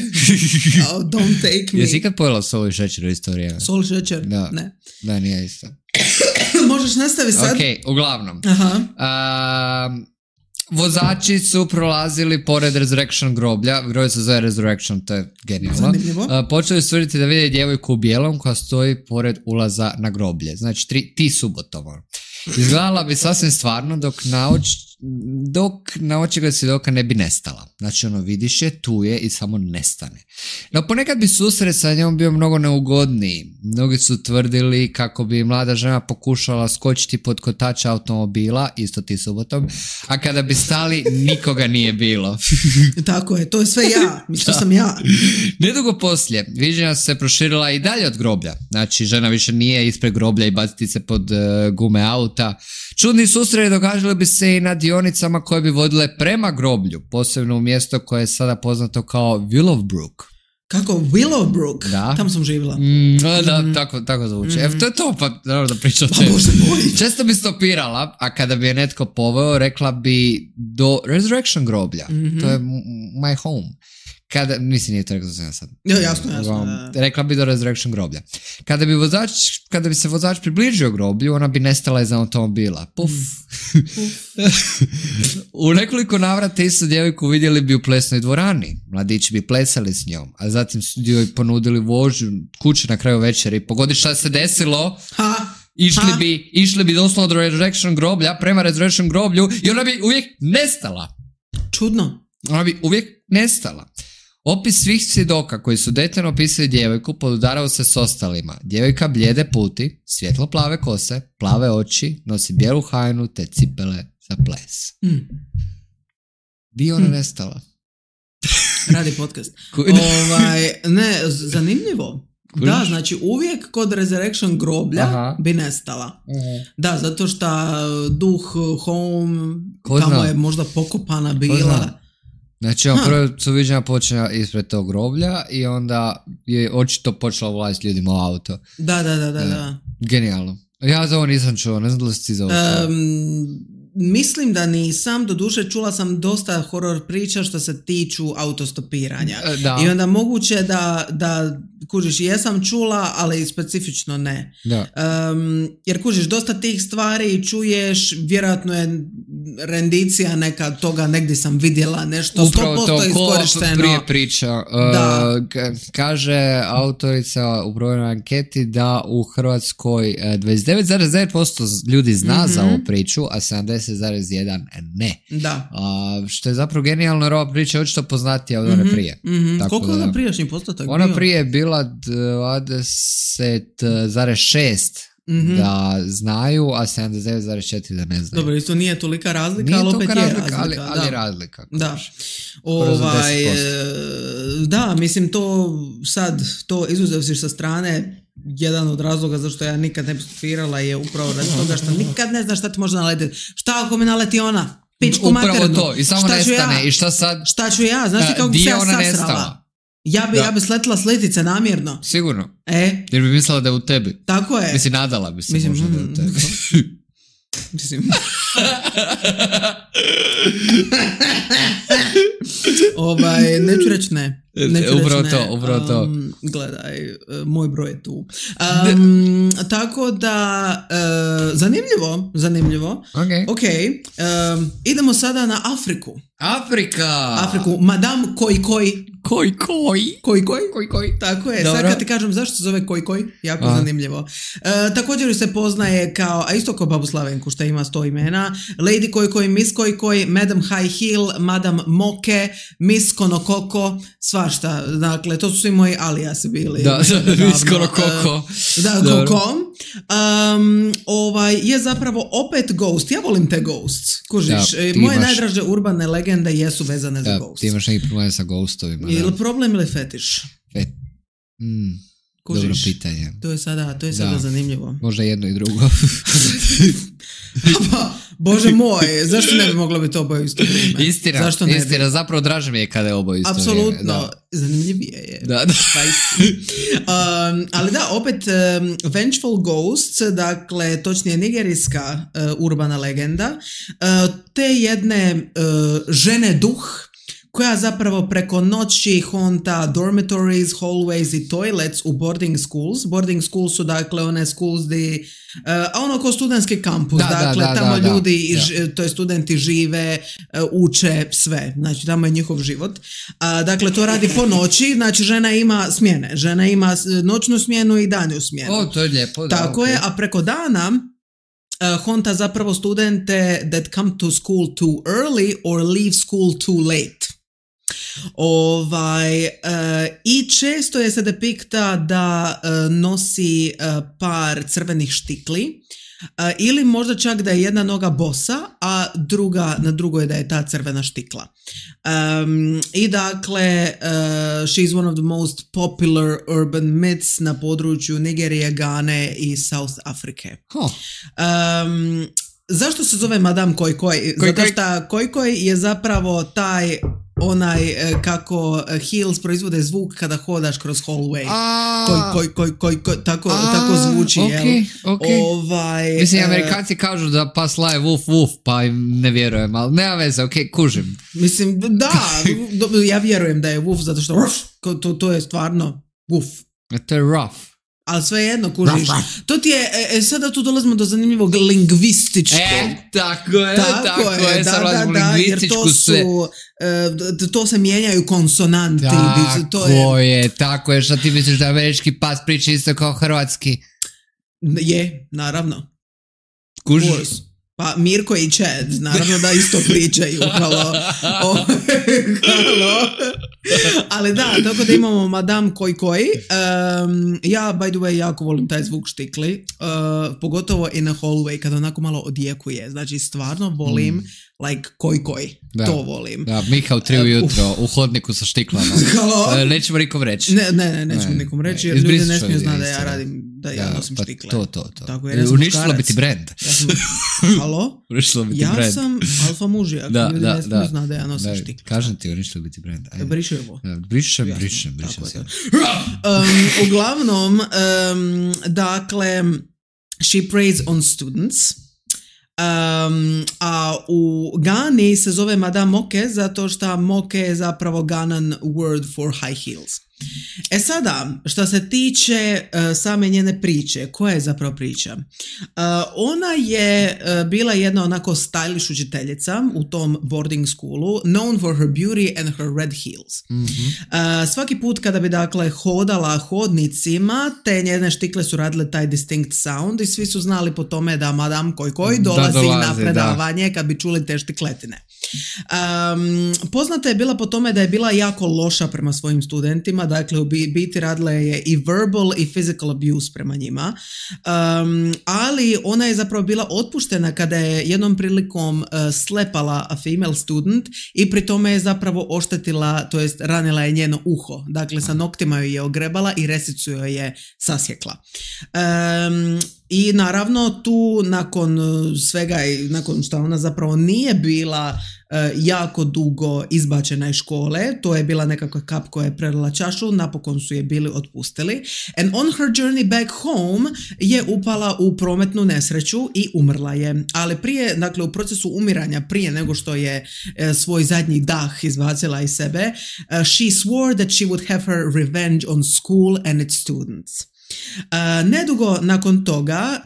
don't take me. Jesi ikad pojela soli i šećer u istoriji? Sol i šećer? Ne. Da, nije isto. Možeš nastaviti sad? Ok, uglavnom. Vozači su prolazili pored Resurrection groblja, groblje se zove Resurrection, to je genijalno. Počeli su tvrditi da vide djevojku u bijelom koja stoji pored ulaza na groblje. Znači, ti subotovo. Izgledala bi sasvim stvarno dok na očigled svjedoka ne bi nestala. Znači, vidiš je, tu je i samo nestane. No, ponekad bi susret sa njom bio mnogo neugodniji. Mnogi su tvrdili kako bi mlada žena pokušala skočiti pod kotač automobila, isto ti subotom, a kada bi stali, nikoga nije bilo. Tako je, to je sve ja. Mislio sam ja. Nedugo poslije, viđenja se proširila i dalje od groblja. Znači, žena više nije ispred groblja i baciti se pod gume auta. Čudni susreti događali bi se i na dionicama koje bi vodile prema groblju, posebno u mjesto koje je sada poznato kao Willowbrook. Kako? Willowbrook? Da. Tamo sam živjela. Da, tako zvuči. To je to, pa naravno da pričam o tebi. Često bi stopirala, a kada bi je netko poveo, rekla bi do Resurrection groblja. To je my home. Nije to rekao za sad. Jasno. Rekla bi do Resurrection groblja. Kada bi se vozač približio groblju, ona bi nestala iz automobila. Puf. U nekoliko navrata istu djevojku vidjeli bi u plesnoj dvorani. Mladići bi plesali s njom, a zatim su joj ponudili vožnju kuće na kraju večeri. Pogodi šta se desilo. Išli bi doslovno do Resurrection groblja, prema Resurrection groblju i ona bi uvijek nestala. Čudno. Ona bi uvijek nestala. Opis svih svjedoka koji su detaljno opisali djevojku podudarao se s ostalima. Djevojka blijede puti, svjetlo plave kose, plave oči, nosi bijelu haljinu te cipele za ples. Di ona nestala? Radi podcast. Zanimljivo. Da, znači uvijek kod Resurrection groblja bi nestala. Da, zato što duh home tamo je možda pokopana bila. Znači, prvo su viđenja počela ispred tog groblja i onda je očito počela ulaziti ljudima u auto. Da. Genijalno. Ja za ovo nisam čuo, ne znam da li si ti za ovo čuo. Mislim da nisam, doduše čula sam dosta horor priča što se tiču autostopiranja. I onda moguće da kužiš, jesam čula, ali specifično ne. Jer kužiš, dosta tih stvari čuješ, vjerojatno je rendicija neka toga, negdje sam vidjela nešto, 100% iskorišteno. Prije priča. Kaže autorica u brojnoj anketi da u Hrvatskoj 29,9% ljudi zna za ovu priču, a 70,1% ne. Da. Što je zapravo genijalno, jer ova priča je očito poznatija od one prije. Koliko je prijašnji postotak bio? Ona prije je bila 20,6%, da znaju, a 79,4 da ne znaju. Dobro, isto nije tolika razlika, Nije ali opet tolika je razlika, razlika. ali razlika. Da. Skoro za Da, mislim to izuzev sa strane, jedan od razloga zašto ja nikad ne bi stupirala je upravo radi toga što nikad ne znaš šta ti može naletiti. Šta ako mi naleti ona? Pičku maternu. Upravo to, i samo šta nestane. Ja? I šta sad? Šta ću ja? Znaš ti kako bi se ja sasrala? Nestala. Ja bi sletila s letice namjerno. Sigurno. Jer bi mislila da je u tebi. Tako je. Mislim, nadala bi se možda da je u tebi. Mislim. Neću reći ne. Upravo to. Gledaj, moj broj je tu. Tako da, zanimljivo. Ok. Idemo sada na Afriku. Afriku. Madame Koi. Tako je. Dobro. Sad kad ti kažem zašto se zove Koi, jako zanimljivo. Također se poznaje kao, a isto kao babu Slavenku što ima 100 imena, Lady Koi, Miss Koi, Madam High Heel, Madam Moke, Miss Konokoko, svašta. Dakle, to su svi moji alijasi bili. Da, Miss Konokoko. Koko. Je zapravo opet Ghost. Ja volim te Ghosts. Kužiš, moje najdraže urbane legende jesu vezane za Ghost. Ti imaš neki problem sa Ghostovima. Ili problem ili fetiš? Dobro pitanje. To je sada zanimljivo. Možda jedno i drugo. Bože moj, zašto ne bi moglo biti oboje isto vrijeme? Istina, zapravo draže mi je kada je oboje isto vrijeme. Apsolutno, zanimljivije je. Da. Ali da, opet Vengeful Ghosts, dakle, točnije nigerijska urbana legenda, te jedne žene duh, koja zapravo preko noći honta dormitories, hallways i toilets u boarding schools. Boarding schools su dakle one schools di, ko studentski kampus, tamo ljudi, to je studenti žive, uče sve, znači tamo je njihov život. Dakle, to radi po noći, znači žena ima smjene, žena ima noćnu smjenu i danju smjenu. To je lijepo, da. Tako je, a preko dana honta zapravo studente that come to school too early or leave school too late. I često je se depikta da nosi par crvenih štikli ili možda čak da je jedna noga bosa, a na drugoj da je ta crvena štikla. I dakle, she's one of the most popular urban myths na području Nigerije, Gane i South Afrike. Zašto se zove Madame Koi? Zato što Koi je zapravo taj kako heels proizvode zvuk kada hodaš kroz hallway. Koi, tako zvuči, okay. Mislim, Amerikanci kažu da pas laje woof, pa im ne vjerujem, ali nema veze, kužim. Mislim, da, ja vjerujem da je woof, zato što to je stvarno woof. To je rough. Ali svejedno, kužiš. To ti je, sada tu dolazimo do zanimljivog lingvističkog. Tako je. Da, jer to se mijenjaju konsonanti. Tako je, što ti misliš da američki pas priča isto kao hrvatski? Je, naravno. Kužiš? Pa Mirko i Chad, naravno da isto pričaju. Halo. Ali da, tako da imamo Madame Koi. Ja, by the way, jako volim taj zvuk štikli. Pogotovo in a hallway, kada onako malo odjekuje. Znači, stvarno volim like Koi. Da. To volim. Da, Miha u 3 ujutro u hodniku sa štiklama. Nećemo nikom reći. Nećemo nikom reći, jer ljudi ne smiju znati da ja radim, da ja nosim štikle. To. Tako, uništilo bi ti brand. Halo? Ja sam alfa mužijak, ljudi ne smiju znati da ja nosim štikle. Kažem ti, uništilo bi ti brand. Brišu ovo. Brišem. Uglavnom, dakle, she preys on students. A u Gani se zove Madame Moke zato što Moke je zapravo Ganan word for high heels. Sada, što se tiče same njene priče, koja je zapravo priča? Ona je bila jedna onako stylish učiteljica u tom boarding schoolu, known for her beauty and her red heels. Svaki put kada bi dakle hodala hodnicima, te njene štikle su radile taj distinct sound i svi su znali po tome da Madame Koi dolazi na predavanje kad bi čuli te štikletine. Poznata je bila po tome da je bila jako loša prema svojim studentima, dakle u biti radila je i verbal i physical abuse prema njima, ali ona je zapravo bila otpuštena kada je jednom prilikom slepala a female student i pri tome je zapravo oštetila, to jest ranila je njeno uho, dakle sa noktima joj je ogrebala i resicu joj je sasjekla. I naravno tu nakon svega i nakon što ona zapravo nije bila jako dugo izbačena iz škole, to je bila nekakva kap koja je prelila čašu, napokon su je bili otpustili. And on her journey back home je upala u prometnu nesreću i umrla je. Ali prije, dakle u procesu umiranja, prije nego što je svoj zadnji dah izbacila iz sebe, she swore that she would have her revenge on school and its students. Nedugo nakon toga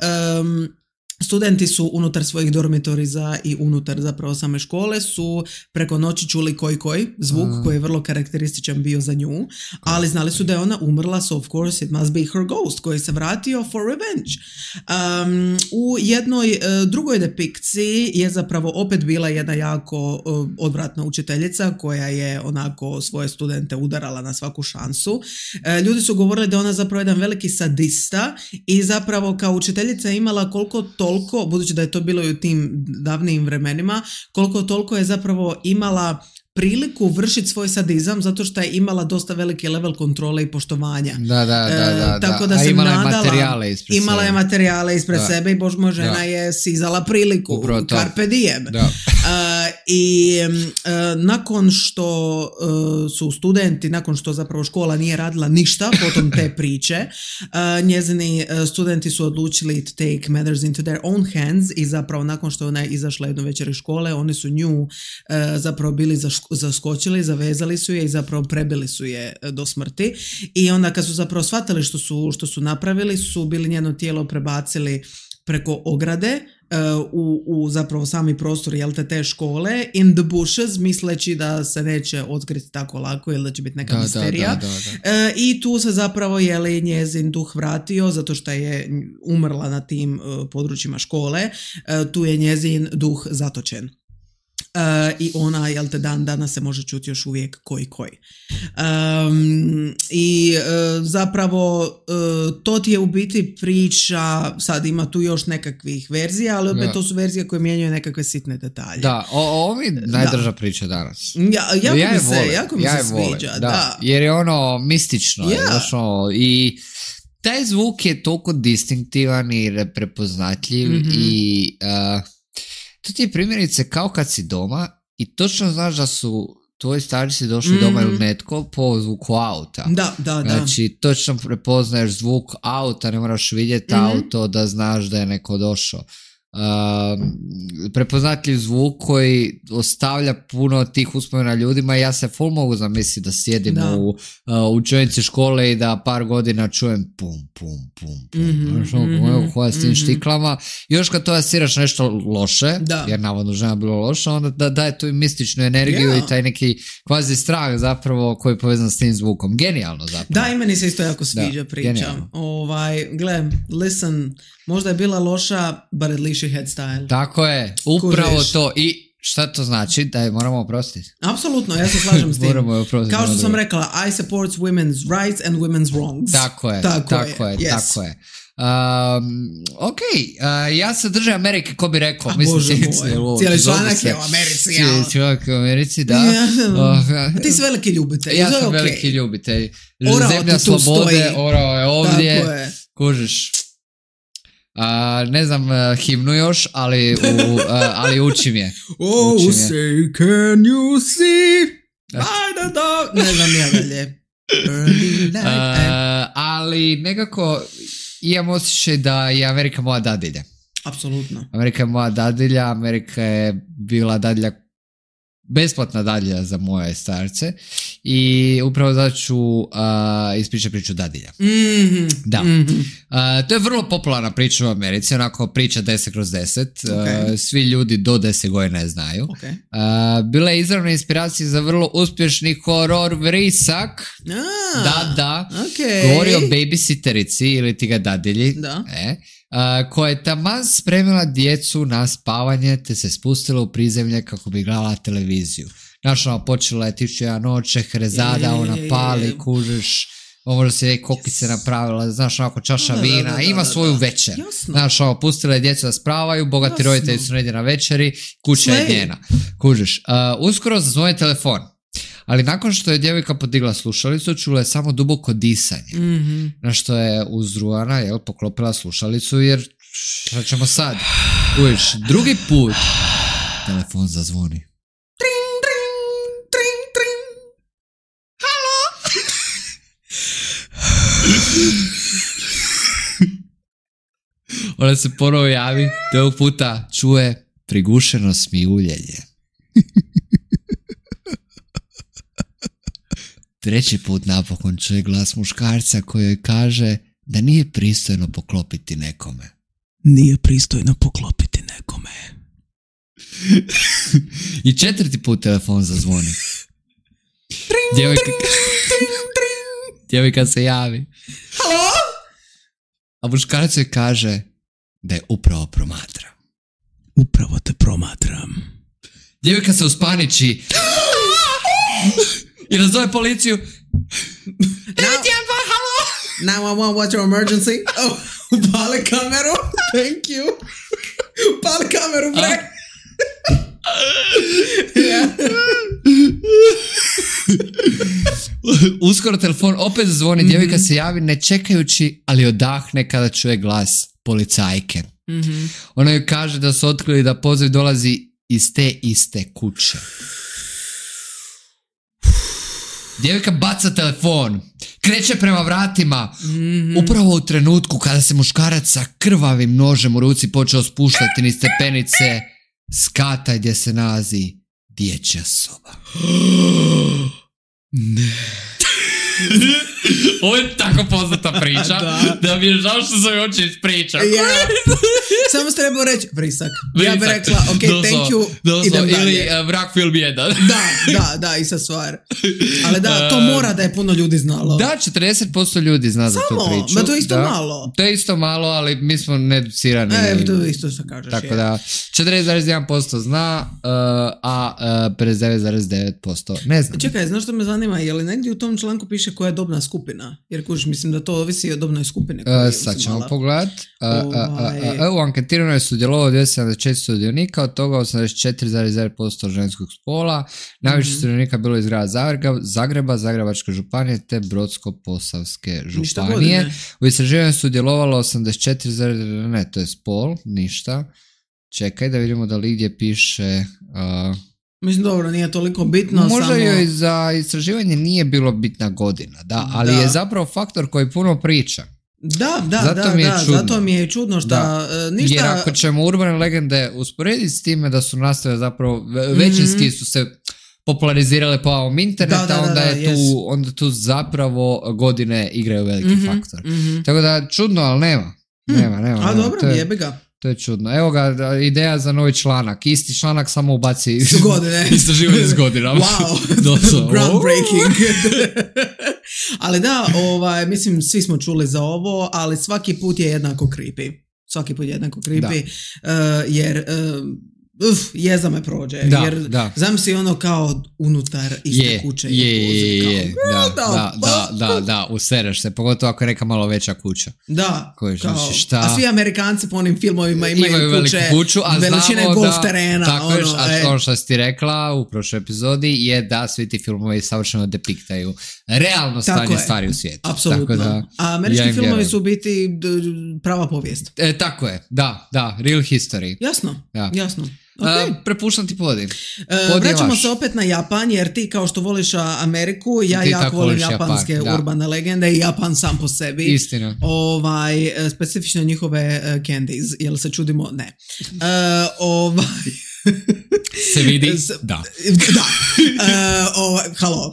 studenti su unutar svojih dormitoriza i unutar zapravo same škole su preko noći čuli koji zvuk koji je vrlo karakterističan bio za nju, ali znali su da je ona umrla, so of course it must be her ghost koji se vratio for revenge. U jednoj drugoj depikciji je zapravo opet bila jedna jako odvratna učiteljica koja je onako svoje studente udarala na svaku šansu. Ljudi su govorili da je ona zapravo jedan veliki sadista i zapravo kao učiteljica imala koliko toliko, budući da je to bilo i u tim davnijim vremenima, koliko toliko je zapravo imala priliku vršiti svoj sadizam zato što je imala dosta veliki level kontrole i poštovanja. Da. Tako da se imala je materijale ispred sebe i bož moj žena je sizala priliku. Carpe diem. I nakon što su studenti, nakon što zapravo škola nije radila ništa potom te priče, njezini studenti su odlučili to take matters into their own hands i zapravo nakon što ona je izašla jednu večer iz škole, oni su nju zapravo bili zaskočili, zavezali su je i zapravo prebili su je do smrti i onda kad su zapravo shvatili što su napravili, su bili njeno tijelo prebacili preko ograde u zapravo sami prostor te škole in the bushes, misleći da se neće otkriti tako lako ili da će biti neka misterija. I tu se zapravo njezin duh vratio zato što je umrla na tim područjima škole, tu je njezin duh zatočen. I ona, dan danas se može čuti još uvijek koji. Zapravo to ti je u biti priča, sad ima tu još nekakvih verzija, ali opet to su verzije koje mijenjaju nekakve sitne detalje. Da, ovo mi najdrža priča danas. Jako mi se sviđa. Da. Jer je ono mistično. I taj zvuk je toliko distinktivan i prepoznatljiv i to ti je primjerice kao kad si doma i točno znaš da su tvoji starci došli doma ili netko po zvuku auta. Da. Znači, točno prepoznaješ zvuk auta, ne moraš vidjeti auto da znaš da je neko došao. Prepoznatljiv zvuk koji ostavlja puno tih uspomena ljudima i ja se full mogu zamisliti da sjedim u učionici škole i da par godina čujem pum. Koja s tim štiklama. Još kad to asiraš nešto loše, jer navodno žena bilo loša, onda daje tu i mističnu energiju i taj neki kvazi strah zapravo koji je povezan s tim zvukom. Genijalno zapravo. Da, i meni se isto jako sviđa priča. Gle, listen, možda je bila loša, but at least she had style. Tako je, upravo to. I šta to znači? Da je moramo oprostiti? Apsolutno, ja se slažem s tim. Kao što sam rekla, I support women's rights and women's wrongs. Tako je. Ok, ja se držim Amerike, ko bi rekao. Bože moj, cijeli članak je u Americi. Članak je u Americi, da. Ti si veliki ljubitelj. Ja sam veliki ljubitelj. Zemlja slobode, orao je ovdje. Kužiš. Ne znam himnu još, ali učim je. Say, can you see? Ne znam ja dalje. Ali nekako imam osjećaj da je Amerika moja dadilja. Apsolutno. Amerika je moja dadilja, Amerika je bila dadilja, besplatna dadilja za moje starce i upravo zato ću ispričati priču dadilja. Da. To je vrlo popularna priča u Americi, onako priča 10/10. Svi ljudi do 10 godina je znaju. Bila je izravna inspiracija za vrlo uspješni horor vrisak. Da. Govori o babysitterici ili ti ga dadilji. Koja je taman spremila djecu na spavanje te se spustila u prizemlje kako bi gledala televiziju. Znaš, ono, počela je 1001 noć, Šehrezada, ona pali, kužiš, možda si je kokice napravila, znaš, onako čaša vina, ima svoju večer. Znaš, ono, pustila je djecu da spravaju, bogati roditelji su negdje na večeri, kuća je njena. Kužiš, uskoro zazvoni telefon. Ali nakon što je djevojka podigla slušalicu, čula je samo duboko disanje. Na što je uzruana, poklopila slušalicu, jer šta ćemo sad? Uviš, drugi put telefon zazvoni. Tring, tring, tring, tring. Halo? Ona se ponovo javi, te ovog puta čuje prigušeno smijuljenje. Treći put napokon čuje glas muškarca koji joj kaže da nije pristojno poklopiti nekome. Nije pristojno poklopiti nekome. I četvrti put telefon zazvoni. Djevojka se javi. Halo? A muškarac joj kaže da je upravo promatra. Upravo te promatram. Djevojka se uspaniči i nazove policiju. 911, halo? 911, what's your emergency? Oh, upali kameru. Thank you. Upali kameru, bre. Uskoro telefon opet zvoni, djevojka se javi ne čekajući, ali odahne kada čuje glas policajke. Ona joj kaže da su otkrili da poziv dolazi iz te iste kuće. Djevojka baca telefon, kreće prema vratima, upravo u trenutku kada se muškarac sa krvavim nožem u ruci počeo spuštati niz stepenice skata gdje se nalazi dječja soba. Ne. Ovo je tako poznata priča da mi je žao što sam oči ispričao. Samo ste trebao reći vrisak. Ja bih rekla, ok, thank you, idem dalje. Ili Vrak film 1. Da, ista stvar. Ali da, to mora da je puno ljudi znalo. Da, 40% ljudi zna za tu priču. Ma to je isto malo. To je isto malo, ali mi smo needucirani. To je isto što kažeš. Tako da, 40,1% zna, a 59,9% ne zna. Čekaj, znaš što me zanima, je li negdje u tom članku piše koja je dobna skupina? Jer kužiš, mislim da to ovisi o dobnoj skupini. Sad ćemo pogledat. U anketiranju je sudjelovalo 274 sudionika, od toga 84,9% ženskog spola. Najviše sudionika bilo iz grada Zagreba, Zagrebačke županije te Brodsko-posavske županije. U istraživanju je sudjelovalo 84, ne, to je spol, ništa. Čekaj da vidimo da li gdje piše... Mislim, dobro, nije toliko bitno. Možda joj za istraživanje nije bilo bitna godina, da, ali je zapravo faktor koji puno priča. Zato mi je čudno što ništa... Jer ako ćemo urbane legende usporediti s time da su nastale zapravo, većinski su se popularizirale po ovom interneta, onda tu zapravo godine igraju veliki faktor. Tako da, čudno, ali nema. A dobro, jebi ga. To je čudno. Evo ga, ideja za novi članak. Isti članak samo ubaci godine. Istraživanje s godinama. Wow, groundbreaking. Ali da, mislim, svi smo čuli za ovo, ali svaki put je jednako creepy. Jer... jeza me prođe, jer zamisli ono kao unutar iste kuće. Da, usereš se, pogotovo ako je neka malo veća kuća. Da, a svi Amerikanci po onim filmovima imaju kuću, veličine golf terena. Tako je, a ono što si ti rekla u prošloj epizodi je da svi ti filmovi savršeno depiktaju realno stanje stvari u svijetu. Apsolutno, a američki filmovi su u biti prava povijest. Tako je, da, real history. Jasno. Okay. Prepuštam ti podi. Vraćamo se opet na Japan, jer ti kao što voliš Ameriku, ja jako volim japanske urbane legende i Japan sam po sebi. Istina. Specifično njihove candies, jel se čudimo? Ne. Se vidi? Da. Halo.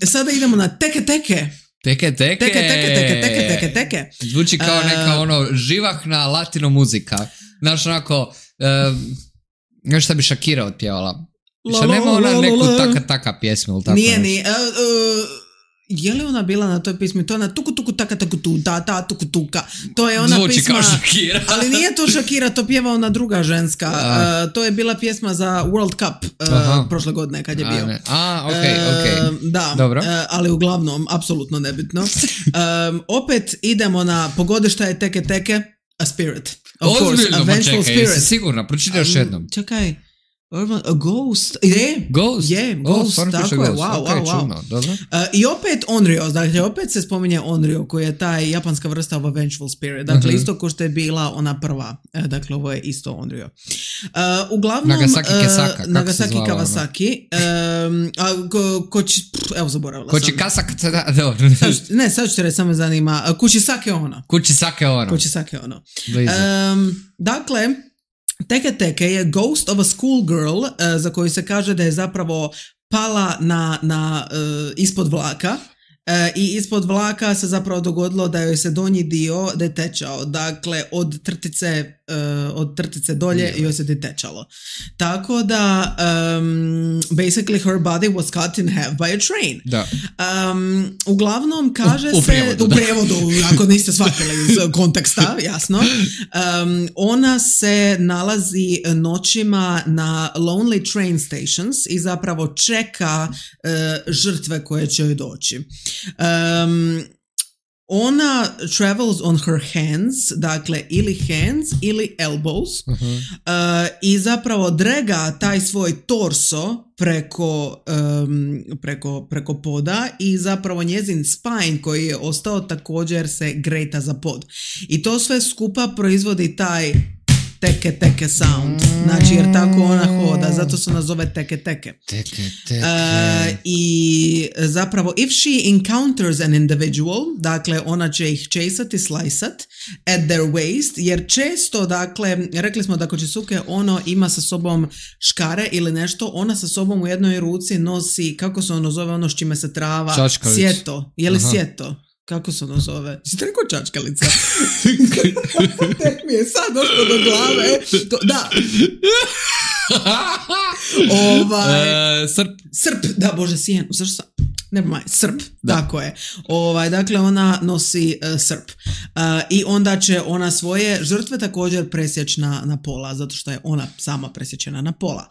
Sada idemo na teke. Teke. Zvuči kao neka živahna latino muzika. Znaš, onako... Još šta bi Shakira otpjevala. Šta nema ona neku taka pjesmu ili tako? Nije. Je li ona bila na toj pismi? To je ona tuku tuku taka taku tu, ta tuku tuka. To je ona Zvuči pisma... kao Shakira. Ali nije to Shakira, to pjeva ona druga ženska. To je bila pjesma za World Cup prošle godine kad je bio. Ok. Da, dobro. Ali uglavnom, apsolutno nebitno. Opet idemo na pogode šta je teke teke, a spirit. Of Ozbiljno, course, a vengeful čekaj, spirit. jesi sigurna? Pročitaj još jednom. Čekaj. A ghost. Ghost? Ghost, tako je, Ghost. wow, Okay, wow, wow. čudno, dobro. I opet Onryo, dakle opet se spominje Onryo koji je taj japanska vrsta of a vengeful spirit, dakle isto ko što je bila ona prva, dakle ovo je isto Onryo. Uglavnom, Nagasaki Kesaka, Nagasaki Kawasaki, evo zaboravila sam. Koči Kasaka, dobro. Ne, sad ću te reći, samo me zanima, Kuchisake ono. Kuchisake ono. Dakle, Teke Teke je ghost of a schoolgirl za koju se kaže da je zapravo pala na ispod vlaka i ispod vlaka se zapravo dogodilo da joj se donji dio detečao. Dakle, od trtice dolje joj se detečalo. Tako da basically her body was cut in half by a train. Da. Uglavnom kaže u prijevodu, ako niste shvatili iz konteksta, jasno. Ona se nalazi noćima na lonely train stations i zapravo čeka žrtve koje će joj doći. Ona travels on her hands, dakle ili hands ili elbows, i zapravo drega taj svoj torso preko poda i zapravo njezin spine koji je ostao također se grejta za pod. I to sve skupa proizvodi taj teke teke sound, znači jer tako ona hoda, zato se nazove teke teke. I zapravo if she encounters an individual, dakle ona će ih chasati, sliceat at their waist, jer često, dakle, rekli smo da Kuchisuke ono ima sa sobom škare ili nešto, ona sa sobom u jednoj ruci nosi, kako se ono zove, ono s čime se trava, čačkalica. Sjeto, je li sjeto? Kako se ono zove? Si te rekao čačkalica? Tek mi je sad došlo do glave. Da. Srp. Da, bože, sjenu. Zašto sam? Srp, da. Tako je. Dakle, ona nosi srp. I onda će ona svoje žrtve također presjeći na pola, zato što je ona sama presječena na pola.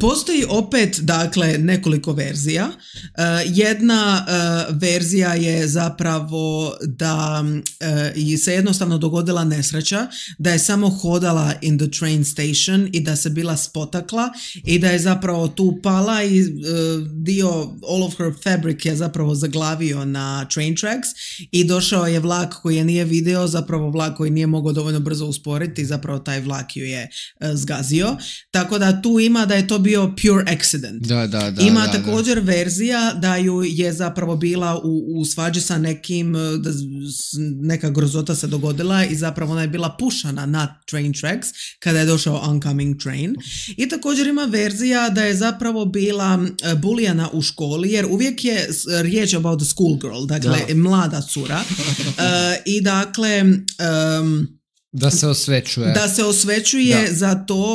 Postoji opet, dakle, nekoliko verzija. Jedna verzija je zapravo da se jednostavno dogodila nesreća, da je samo hodala in the train station i da se bila spotakla i da je zapravo tu pala i dio all of her fabric je zapravo zaglavio na train tracks i došao je vlak koji je nije vidio, zapravo vlak koji nije mogao dovoljno brzo usporiti i zapravo taj vlak ju je zgazio. Tako da tu ima da je to bio pure accident. Ima također verzija da ju je zapravo bila u svađi sa nekim, neka grozota se dogodila i zapravo ona je bila pušana na train tracks kada je došao oncoming train. I također ima verzija da je zapravo bila bulijana u školi, jer uvijek je riječ about the schoolgirl, dakle mlada cura. I dakle da se osvećuje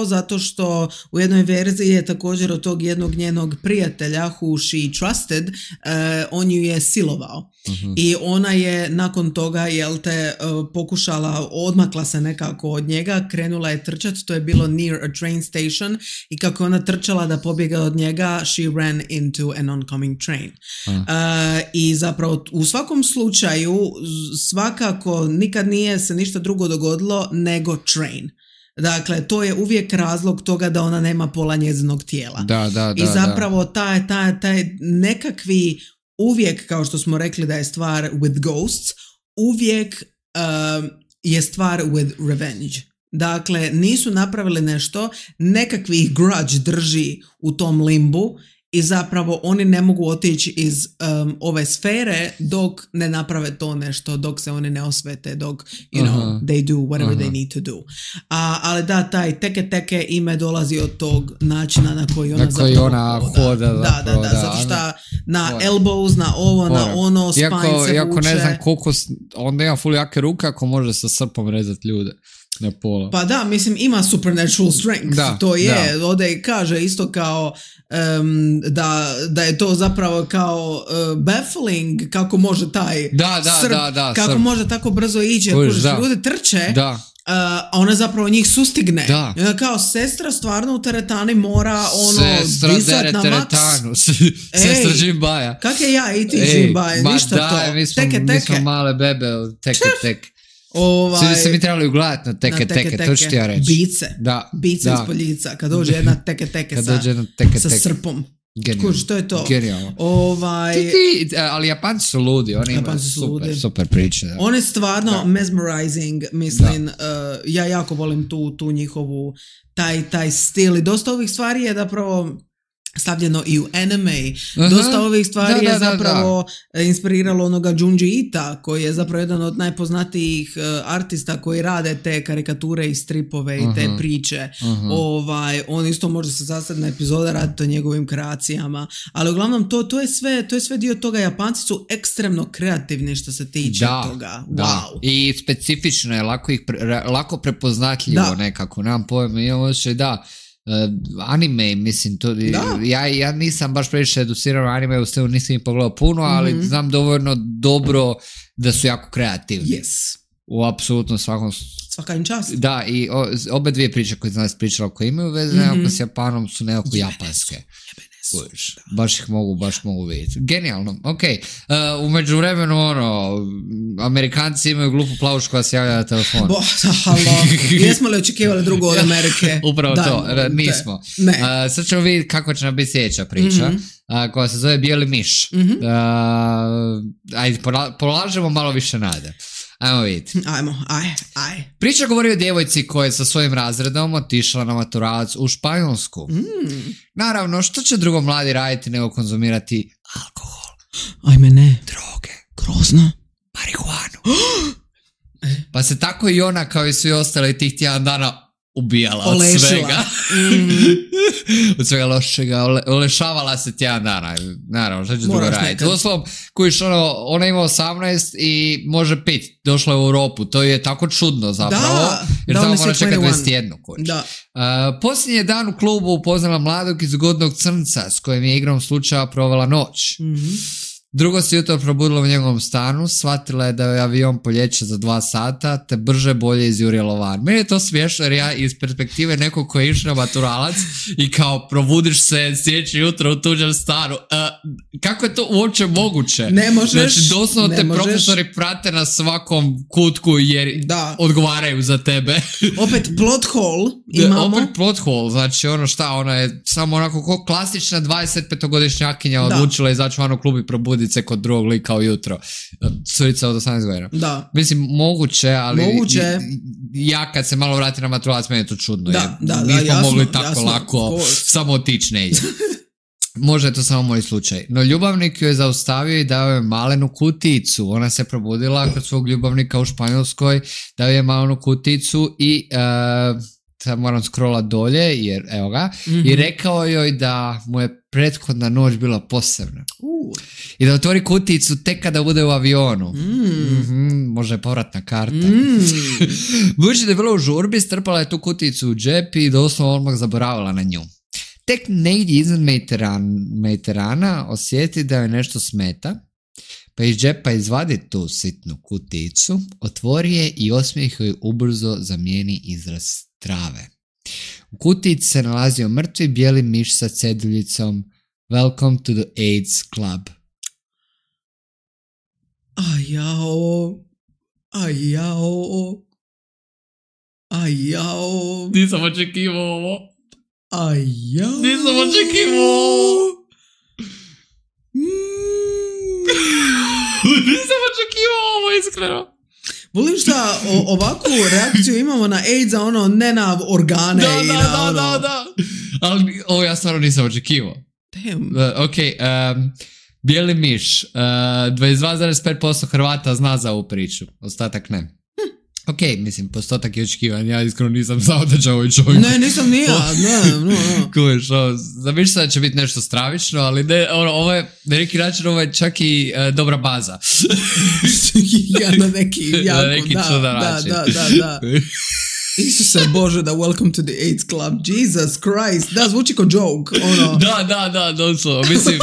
zato što u jednoj verziji je također od tog jednog njenog prijatelja who she trusted, on ju je silovao. I ona je nakon toga pokušala, odmakla se nekako od njega, krenula je trčati, to je bilo near a train station i kako ona trčala da pobjega od njega, she ran into an oncoming train. I zapravo u svakom slučaju svakako nikad nije se ništa drugo dogodilo nego train. Dakle, to je uvijek razlog toga da ona nema pola njezinog tijela. I zapravo taj nekakvi uvijek, kao što smo rekli da je stvar with ghosts, uvijek je stvar with revenge. Dakle, nisu napravili nešto, nekakvi ih grudge drži u tom limbu i zapravo oni ne mogu otići iz ove sfere dok ne naprave to nešto, dok se oni ne osvete, dok they do whatever they need to do. Ali da, taj teke teke ime dolazi od tog načina na koji ona hoda. Da, zato što na elbows, na ovo, na ono, spine se vuče. Iako ne znam koliko, onda ima ful jake ruke ako može sa srpom rezati ljude. na pola. Pa da, mislim, ima supernatural strength. Da, to je, ovdje kaže isto kao da je to zapravo kao baffling, kako može taj kako može tako brzo ići, jer ljudi trče, a ona zapravo njih sustigne. Da. Kao sestra stvarno u teretani mora disat na maks. Sestra Džimbaja. Kak je ja i ti Džimbaja, ništa to. Mi smo male bebe, teke. Svi se mi trebali ugledati na teke, to ću ti ja reći. Bice ispod lica, kad dođe jedna teke sa srpom. Kuž, to je to. Genijalno. Ali Japanci su ludi, oni imaju super priče. Da. On je stvarno mesmerizing, mislim, ja jako volim tu njihovu, taj stil i dosta ovih stvari je zapravo stavljeno i u anime. Dosta ovih stvari je zapravo inspiriralo onoga Junji Ita, koji je zapravo jedan od najpoznatijih artista koji rade te karikature i stripove i te priče. On isto može se sastaviti na epizoda raditi o njegovim kreacijama, ali uglavnom to je sve dio toga. Japanci su ekstremno kreativni što se tiče toga. Wow. I specifično je lako prepoznatljivo nekako. Nemam pojma, imam osjećaj anime, mislim, to, ja nisam baš previše educiran anime, u stelu nisam ih pogledao puno, ali znam dovoljno dobro da su jako kreativni. Yes. U apsolutno svaka im čast. Da, i obe dve priče koje sam pričala, koje imaju veze nekako s Japanom, su nekako japanske. Baš mogu vidjeti. Genijalno, ok. U međuvremenu, Amerikanci imaju glupu plavušku koja se javlja na telefon. Jesmo li očekivali drugo od Amerike? Upravo to, nismo. Sad ćemo vidjeti kako će nam biti sljedeća priča, koja se zove Bijeli miš. Ajde, polažemo malo više nade. Ajmo vidjeti. Aj. Priča govori o djevojci koja je sa svojim razredom otišla na maturalac u Španjolsku. Naravno, što će drugo mladi raditi nego konzumirati alkohol? Ajme ne. Droge. Grozno. Marihuanu. Pa se tako i ona, kao i svi ostali, tih tjedan dana ubijala od svega. Od svega lošega. Olešavala se tjedan dana. Naravno, što će drugo raditi. Uostalom, kojiš ona ima 18 i može piti. Došla je u Europu. To je tako čudno zapravo. Jer tamo mora čekati 21. Posljednji dan u klubu upoznala mladog i zgodnog crnca s kojim je igrom slučaja provela noć. Drugo se jutro probudila u njegovom stanu, shvatila je da je avion poljeće za 2 sata, te brže bolje izjurilo van. Meni je to smiješno jer ja iz perspektive nekog koji je išao na maturalac i kao probudiš se sljedeće jutro u tuđem stanu. Kako je to uopće moguće? Ne možeš. Znači, doslovno te profesori prate na svakom kutku jer odgovaraju za tebe. Opet plot hole imamo. Opet plot hole, znači ona je samo onako kao klasična 25-godišnjakinja odlučila izaći van u klub i probuditi se kod drugog lika ujutro. Curica od 18 godina. Da. Mislim, moguće, ali ja kad se malo vratim na maturalac, meni je to čudno. Nismo mogli tako lako samo otići negdje. Možda je to samo moj slučaj. No ljubavnik ju je zaustavio i dao je malenu kuticu. Ona se probudila kod svog ljubavnika u Španjolskoj, dao je malenu kuticu i sad moram scrollat dolje, jer evo ga, i rekao joj da mu je prethodna noć bila posebna. I da otvori kuticu tek kada bude u avionu. Može je povratna karta. Budući da je bila u žurbi, strpala je tu kuticu u džep i doslovno odmah zaboravila na nju. Tek negdje iznad Mediterana osjeti da joj nešto smeta, pa iz džepa izvadi tu sitnu kuticu, otvori je i osmijeh joj ubrzo zamijeni izraz strave. U kutici se nalazio mrtvi bijeli miš sa ceduljicom Welcome to the AIDS Club. Ajao. Nisam očekivao ovo. Nisam očekivao ovo, iskreno. Volim šta ovakvu reakciju imamo na AIDS, ne na organe i na Da. Ali ovo ja stvarno nisam očekivao. Ok, bijeli miš. 22,5% Hrvata zna za ovu priču. Ostatak ne. Ok, mislim, postotak je očekivan. Ja iskreno nisam znao da će ovaj čovjek... Ne, nisam ni ja. Kuviš, zamišljam da će biti nešto stravično, ali ne, ovo je, na neki način, ovo je čak i dobra baza. Na neki jako, na neki čudan način. Da. Isuse Bože, da welcome to the AIDS club. Jesus Christ. Da, zvuči ko joke. Ono. Da, doslovno. Mislim...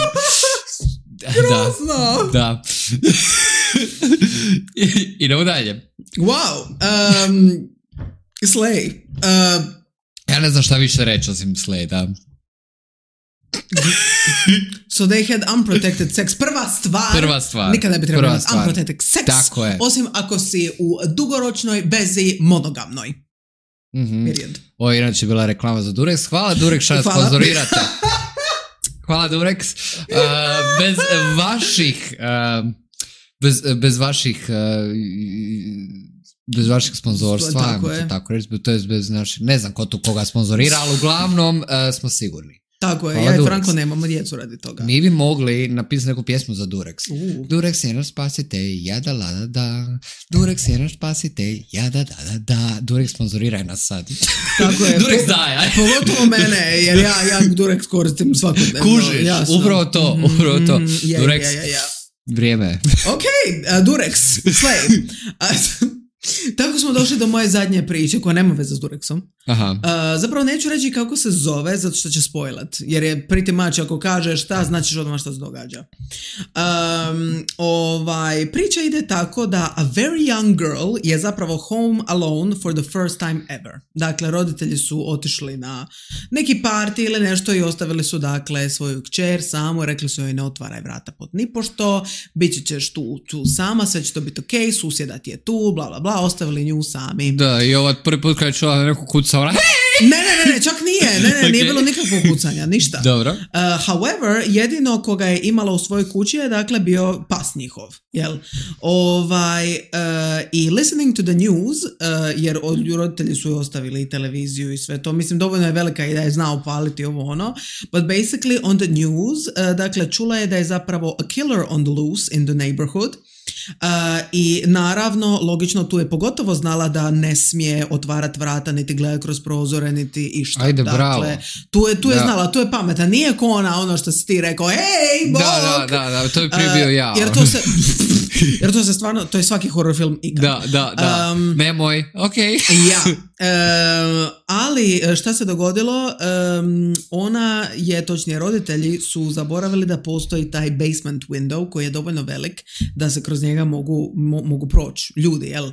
Grozno. Da. Idemo dalje. Wow. Slay. Ja ne znam šta više reći osim Slay, da. So they had unprotected sex. Prva stvar. Nikada ne bi trebalo imati unprotected sex. Tako je. Osim ako si u dugoročnoj vezi monogamnoj. Period. Ovo je inače bila reklama za Durex. Hvala Durex što nas sponzorirate. Hvala Durex. Bez vaših sponzorstva, tako reći, to je bez naših, ne znam ko tu koga sponzorira, ali uglavnom smo sigurni. Tako je, hvala, ja i Franko nemamo djecu radi toga. Mi bi mogli napisati neku pjesmu za Durex. Durex je naš spasitelj, jada lada da. Durex je naš spasitelj, jada da da. Durex sponzoriraj nas sad. Tako je. Durex daj, aj. Pogotovo mene, jer ja Durex koristim svakodnevno. Kužiš, upravo to. Durex, vrijeme. Ok, Durex, Slay. Tako smo došli do moje zadnje priče koja nema veze s Durexom. Zapravo neću reći kako se zove zato što će spojlat, jer je pretty much ako kažeš šta, značiš odmah što se događa. Priča ide tako da a very young girl je zapravo home alone for the first time ever. Dakle, roditelji su otišli na neki party ili nešto i ostavili su dakle svoju kćer samu, rekli su joj ne otvaraj vrata pod nipošto, bit ćeš tu sama, sve će to biti ok, susjeda ti je tu, bla bla bla, ostavili nju sami. Da, i ovaj prvi put kada je čula neku kuca, ona Ne, čak nije. Okay. Nije bilo nikakvog kucanja, ništa. Dobro. However, jedino koga je imala u svojoj kući je dakle bio pas njihov. Jel? I listening to the news, jer roditelji su ostavili televiziju i sve to, mislim dovoljno je velika i da je znao paliti ovo ono, but basically on the news, dakle čula je da je zapravo a killer on the loose in the neighborhood. I naravno, logično tu je pogotovo znala da ne smije otvarati vrata, niti gledati kroz prozore, niti išta. Ajde, dakle, bravo. Tu je znala, tu je pametna. Nije ko ono što si ti rekao, hej, bok! Da, to je prije bio ja. Jer to se stvarno, to je svaki horror film ikad. Da. Nemoj, okej. Ja. Ali šta se dogodilo? Ona je, točnije roditelji su zaboravili da postoji taj basement window koji je dovoljno velik da se kroz njega mogu proći ljudi, jel?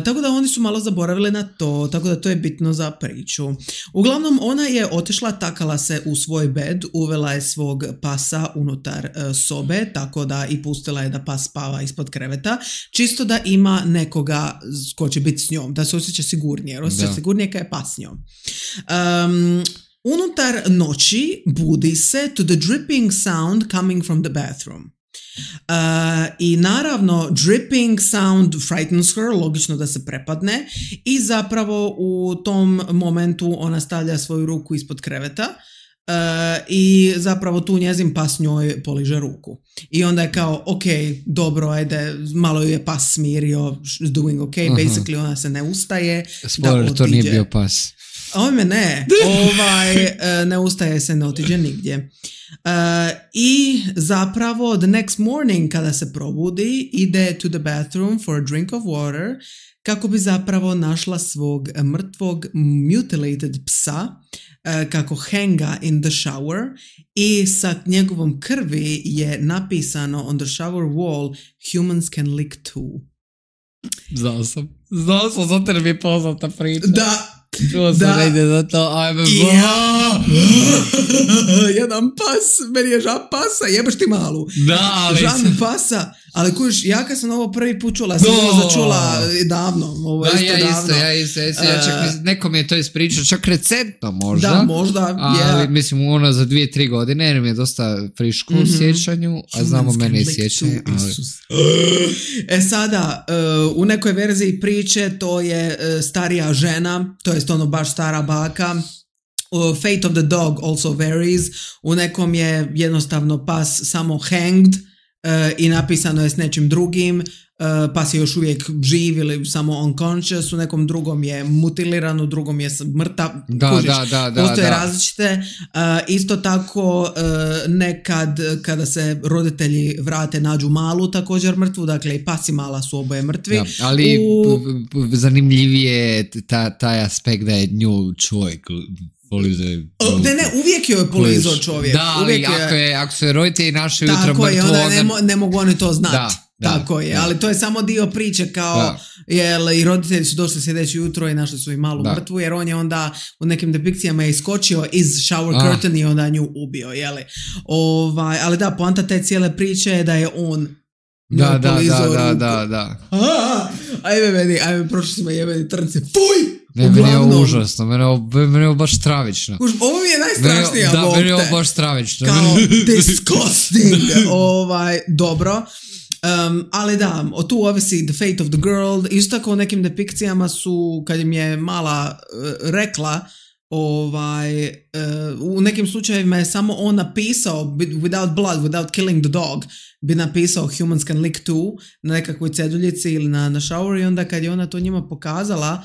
Tako da oni su malo zaboravili na to, tako da to je bitno za priču. Uglavnom ona je otišla, takala se u svoj bed, uvela je svog pasa unutar sobe, tako da i pustila je da pas spava ispod kreveta, čisto da ima nekoga ko će biti s njom, da se osjeća sigurnije, jer osjeća sigurnije kad je pas s njom. Unutar noći budi se to the dripping sound coming from the bathroom. I naravno dripping sound frightens her, logično da se prepadne i zapravo u tom momentu ona stavlja svoju ruku ispod kreveta i zapravo tu njezin pas njoj poliže ruku i onda je kao ok, dobro, ajde, malo ju je pas smirio, doing ok, basically ona se ne ustaje. Spoiler, da to nije bio pas. Ovime ne, ne ustaje se, ne otiđe nigdje. I zapravo the next morning kada se probudi ide to the bathroom for a drink of water kako bi zapravo našla svog mrtvog mutilated psa kako hanga in the shower i sa njegovom krvi je napisano on the shower wall humans can lick too. Znao sam, zato mi je poznata priča. Da. Čuo sam da ide za to, ajme jedan pas, meni je žab pasa, jebeš ti malu. Da, ali žab pasa, ali kužiš, ja kad sam ovo prvi put čula, sam začula davno, ovo je isto davno. Ja isto, ja čak nekom je to ispričao, čak recentno možda. Da, možda, ali mislim ono za 2-3 godine, jer mi je dosta friško u sjećanju, a znamo mene i sjećanje. Sada, u nekoj verziji priče to je starija žena, to je ono baš stara baka. Fate of the dog also varies. U nekom je jednostavno pas samo hanged i napisano je s nečim drugim. pas je još uvijek živ ili samo unconscious, u nekom drugom je mutiliran, u drugom je mrtav, kužiš, postoje različite. Isto tako nekad kada se roditelji vrate nađu malu također mrtvu, dakle i pas i mala su oboje mrtvi. Da, ali zanimljivije je taj aspekt da je nju čovjek uvijek joj je polizao čovjek. Da, ali ako se roditelji naše jutro mrtvo, onda ne mogu oni to znati. Tako je, ali to je samo dio priče kao, jel, i roditelji su došli sljedeće jutro i našli su i malu mrtvu, jer on je onda u nekim depikcijama je iskočio iz shower curtain i onda nju ubio, jeli. Ali da, poanta te cijele priče je da je on Da. Ajme, prošli smo jebeni trnci. Fuj! Ne, meni je ovo užasno, meni je ovo baš stravično. Ovo mi je najstrašnija bok. Da, meni je ovo baš stravično. Kao disgusting. Dobro. Ali da, tu ovisi The Fate of the Girl. Isto tako u nekim depikcijama su, kad im je mala rekla, u nekim slučajevima je samo on napisao without blood, without killing the dog, bi napisao humans can lick too na nekakvoj ceduljici ili na shower, i onda kad je ona to njima pokazala,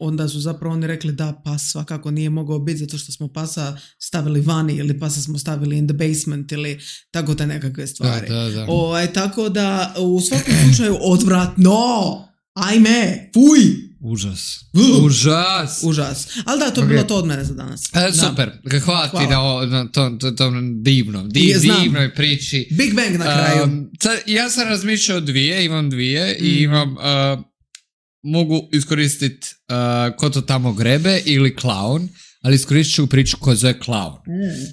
onda su zapravo oni rekli da pas svakako nije mogao biti zato što smo pasa stavili vani ili pasa smo stavili in the basement ili tako te nekakve stvari. Da. Tako da u svakom slučaju odvratno, ajme, fuj. Užas. Ali da, to je bilo to od mene za danas. Super, hvala ti na tom divnoj priči. Big Bang na kraju. Ja sam razmišljao imam dvije i imam mogu iskoristiti ko to tamo grebe ili klaun, ali iskoristit ću priču koja zove klaun.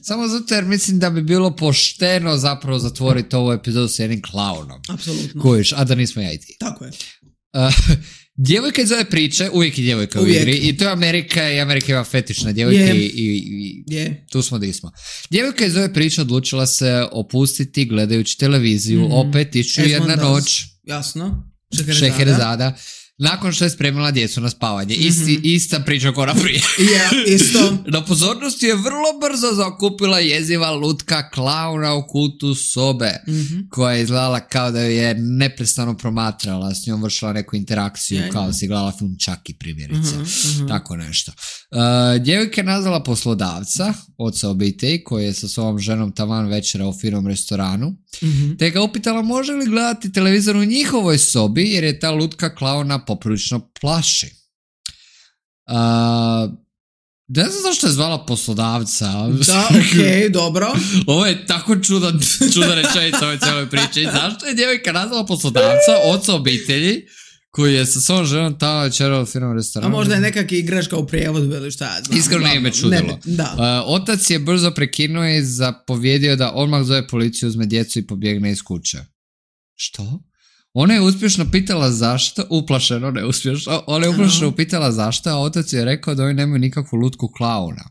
Samo zato jer mislim da bi bilo pošteno zapravo zatvoriti ovu epizodu s jednim klaunom. Apsolutno. Kojiš, a da nismo ja i ti. Tako je. Djevojka iz ove priče, uvijek je djevojka u igri, i to je Amerika, i Amerika ima fetiš na djevojke i tu smo di smo. Djevojka iz ove priče odlučila se opustiti gledajući televiziju, opet 1001 noć. Jasno. Šeherezada. Nakon što je spremila djecu na spavanje. Ista priča kora prije. Isto. Na pozornosti je vrlo brzo zakupila jeziva lutka klauna u kutu sobe, koja je izgledala kao da je neprestano promatrala, s njom vršila neku interakciju, kao si gledala film Chucky primjerice. Tako nešto. Djevojka je nazvala poslodavca, oca obitelji, koji je sa svojom ženom taman večera u firmom restoranu, te ga upitala može li gledati televizor u njihovoj sobi, jer je ta lutka klauna poprilično plaši. Ne znam zašto je zvala poslodavca. Da, okej, dobro. Ovo je tako čudan rečenica ove cijeloj priči. Zašto je djevojka nazvala poslodavca, oca obitelji, koji je sa svojom ženom tamo večera u firmom restoranu? A možda je nekakva igračka u prijevodu ili šta ja znam. Iskreno ne me čudilo. Otac je brzo prekinuo i zapovjedio da odmah zove policiju, uzme djecu i pobjegne iz kuće. Što? Ona je uspješno pitala zašto, uplašeno, ona je uplašeno pitala zašto, a otac je rekao da oni nemaju nikakvu lutku klauna.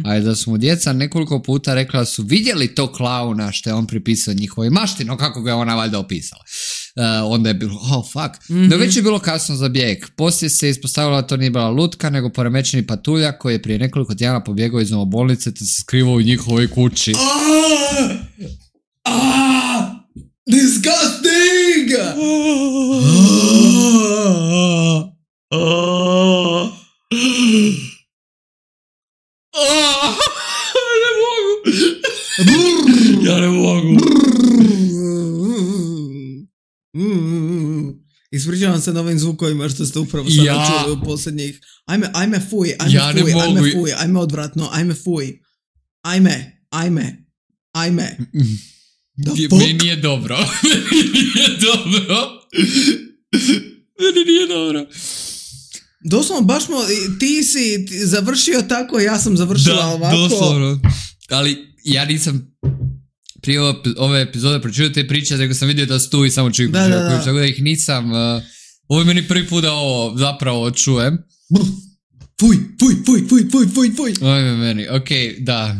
A je da su mu djeca nekoliko puta rekla da su vidjeli to klauna što je on pripisao njihovoj mašti, no kako ga je ona valjda opisala. Onda je bilo, fuck. No već je bilo kasno za bijeg. Poslije se ispostavila da to nije bila lutka, nego poremećeni patuljak koji je prije nekoliko tjedana pobjegao iz bolnice te se skrivao u njihovoj kući. Disgusting! Ja ne mogu. Ispričavam se novim zvukovima što ste upravo sada čuli u posljednjih. Ajme fuj, ajme odvratno, ajme fuj. Ajme. Meni nije dobro. Meni nije dobro. Doslovno, baš ti si završio tako, ja sam završila ovako. Da, doslovno. Ali ja nisam prije ove epizode pročitao te priče, nego sam vidio da su tu i samo čujem. Tako da ih nisam... Ovo je meni prvi put da ovo zapravo čujem. Fuj. Oj, meni, okej, da.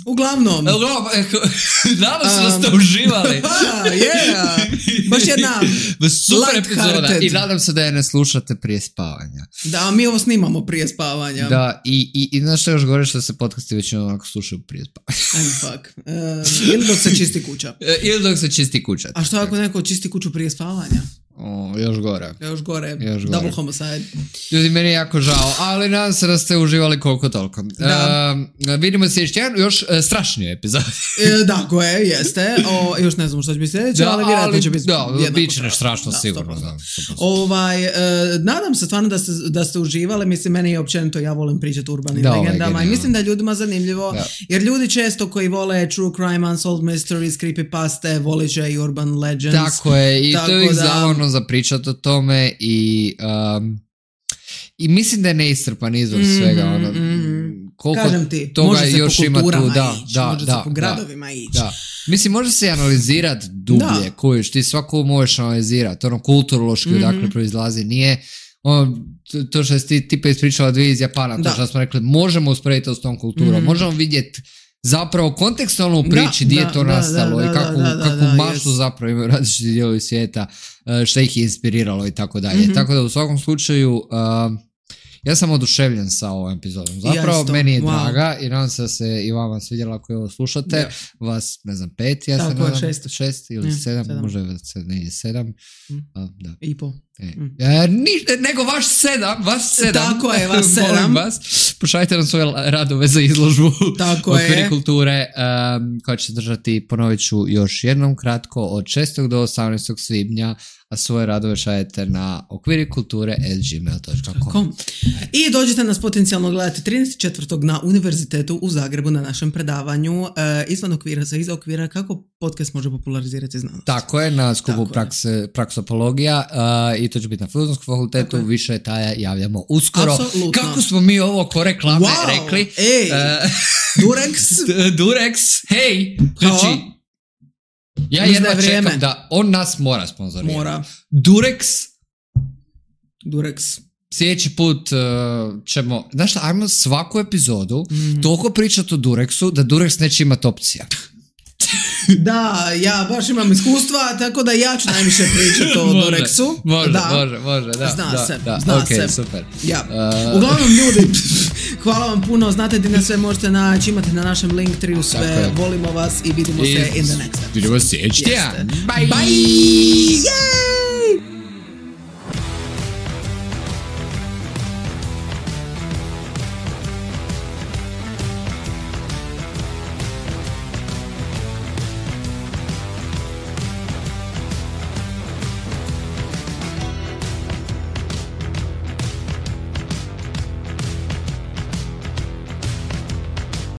Uglavnom. Nadam se da ste uživali. Baš jedna super epizoda. I nadam se da je ne slušate prije spavanja. Da, mi ovo snimamo prije spavanja. Da, i znaš što još gore, što se podcasti većinom onako slušaju prije spavanja. Fuck. Ili dok se čisti kuća. A što ako neko čisti kuću prije spavanja? Još gore. Double homicide. Ljudi, meni je jako žao, ali nadam se da ste uživali koliko toliko. Vidimo se još strašnije epizode. Da, koje jeste. Još ne znam što će biti sljedeće, ali vjerojatno će biti jednako strašno. Bit će strašno, sigurno. Nadam se stvarno da ste uživali. Mislim, meni je općenito, ja volim pričati o urbanim legendama i mislim da je ljudima zanimljivo, jer ljudi često koji vole true crime, unsolved mysteries, creepypaste, volit će i urban legends. Tako je, i to je zabavno za pričati o tome i mislim da je neistrpan izvor svega. Koliko kažem ti, toga može se još po kulturama ići, može se po gradovima ići. Mislim, može se analizirati dublje, kojiš, ti svako možeš analizirati, kulturološki odakle proizlazi, nije to što si ti tipa ispričala dvije iz Japana, to što smo rekli, možemo usporediti s tom kulturom, možemo vidjeti zapravo kontekstualno u priči gdje je to nastalo i kakvu maštu zapravo imaju različiti dijelovi svijeta, što ih je inspiriralo i tako dalje. Tako da u svakom slučaju ja sam oduševljen sa ovom epizodom. Zapravo meni je draga i nadam se da se i vama svidjela ako je ovo slušate. Vas, ne znam, 5, ja sam nadam 6 ili 7, možda je negdje 7. I po. Nego vaš 7. Tako je, vas 7. Molim vas, pošaljite nam svoje radove za izložbu okviri kulture koja će se držati, ponovit ću još jednom kratko, od 6. do 18. svibnja, a svoje radove šaljete na okvirikulture@gmail.com. I dođete nas potencijalno gledati 34. na Univerzitetu u Zagrebu na našem predavanju izvan okvira za iza okvira, kako podcast može popularizirati znanost. Tako je, na skupu praksopologija i to će biti na Filozofskom fakultetu, više detalja javljamo uskoro. Absolutno. Kako smo mi ovo ko reklame rekli? Durex, hej! Znači, ja jedva čekam da on nas mora sponzorirati. Durex. Sljedeći put ćemo, znaš šta, ajmo svaku epizodu toliko pričati o Durexu da Durex neće imati opcija. Da, ja baš imam iskustva, tako da ja ću najviše pričati o Durexu. Može, da. Zna se. Super. Uglavnom, ljudi, hvala vam puno, znate gdje nas sve možete naći, imate na našem Linktree sve, volimo vas i vidimo se in the next episode. Vidimo se, Bye!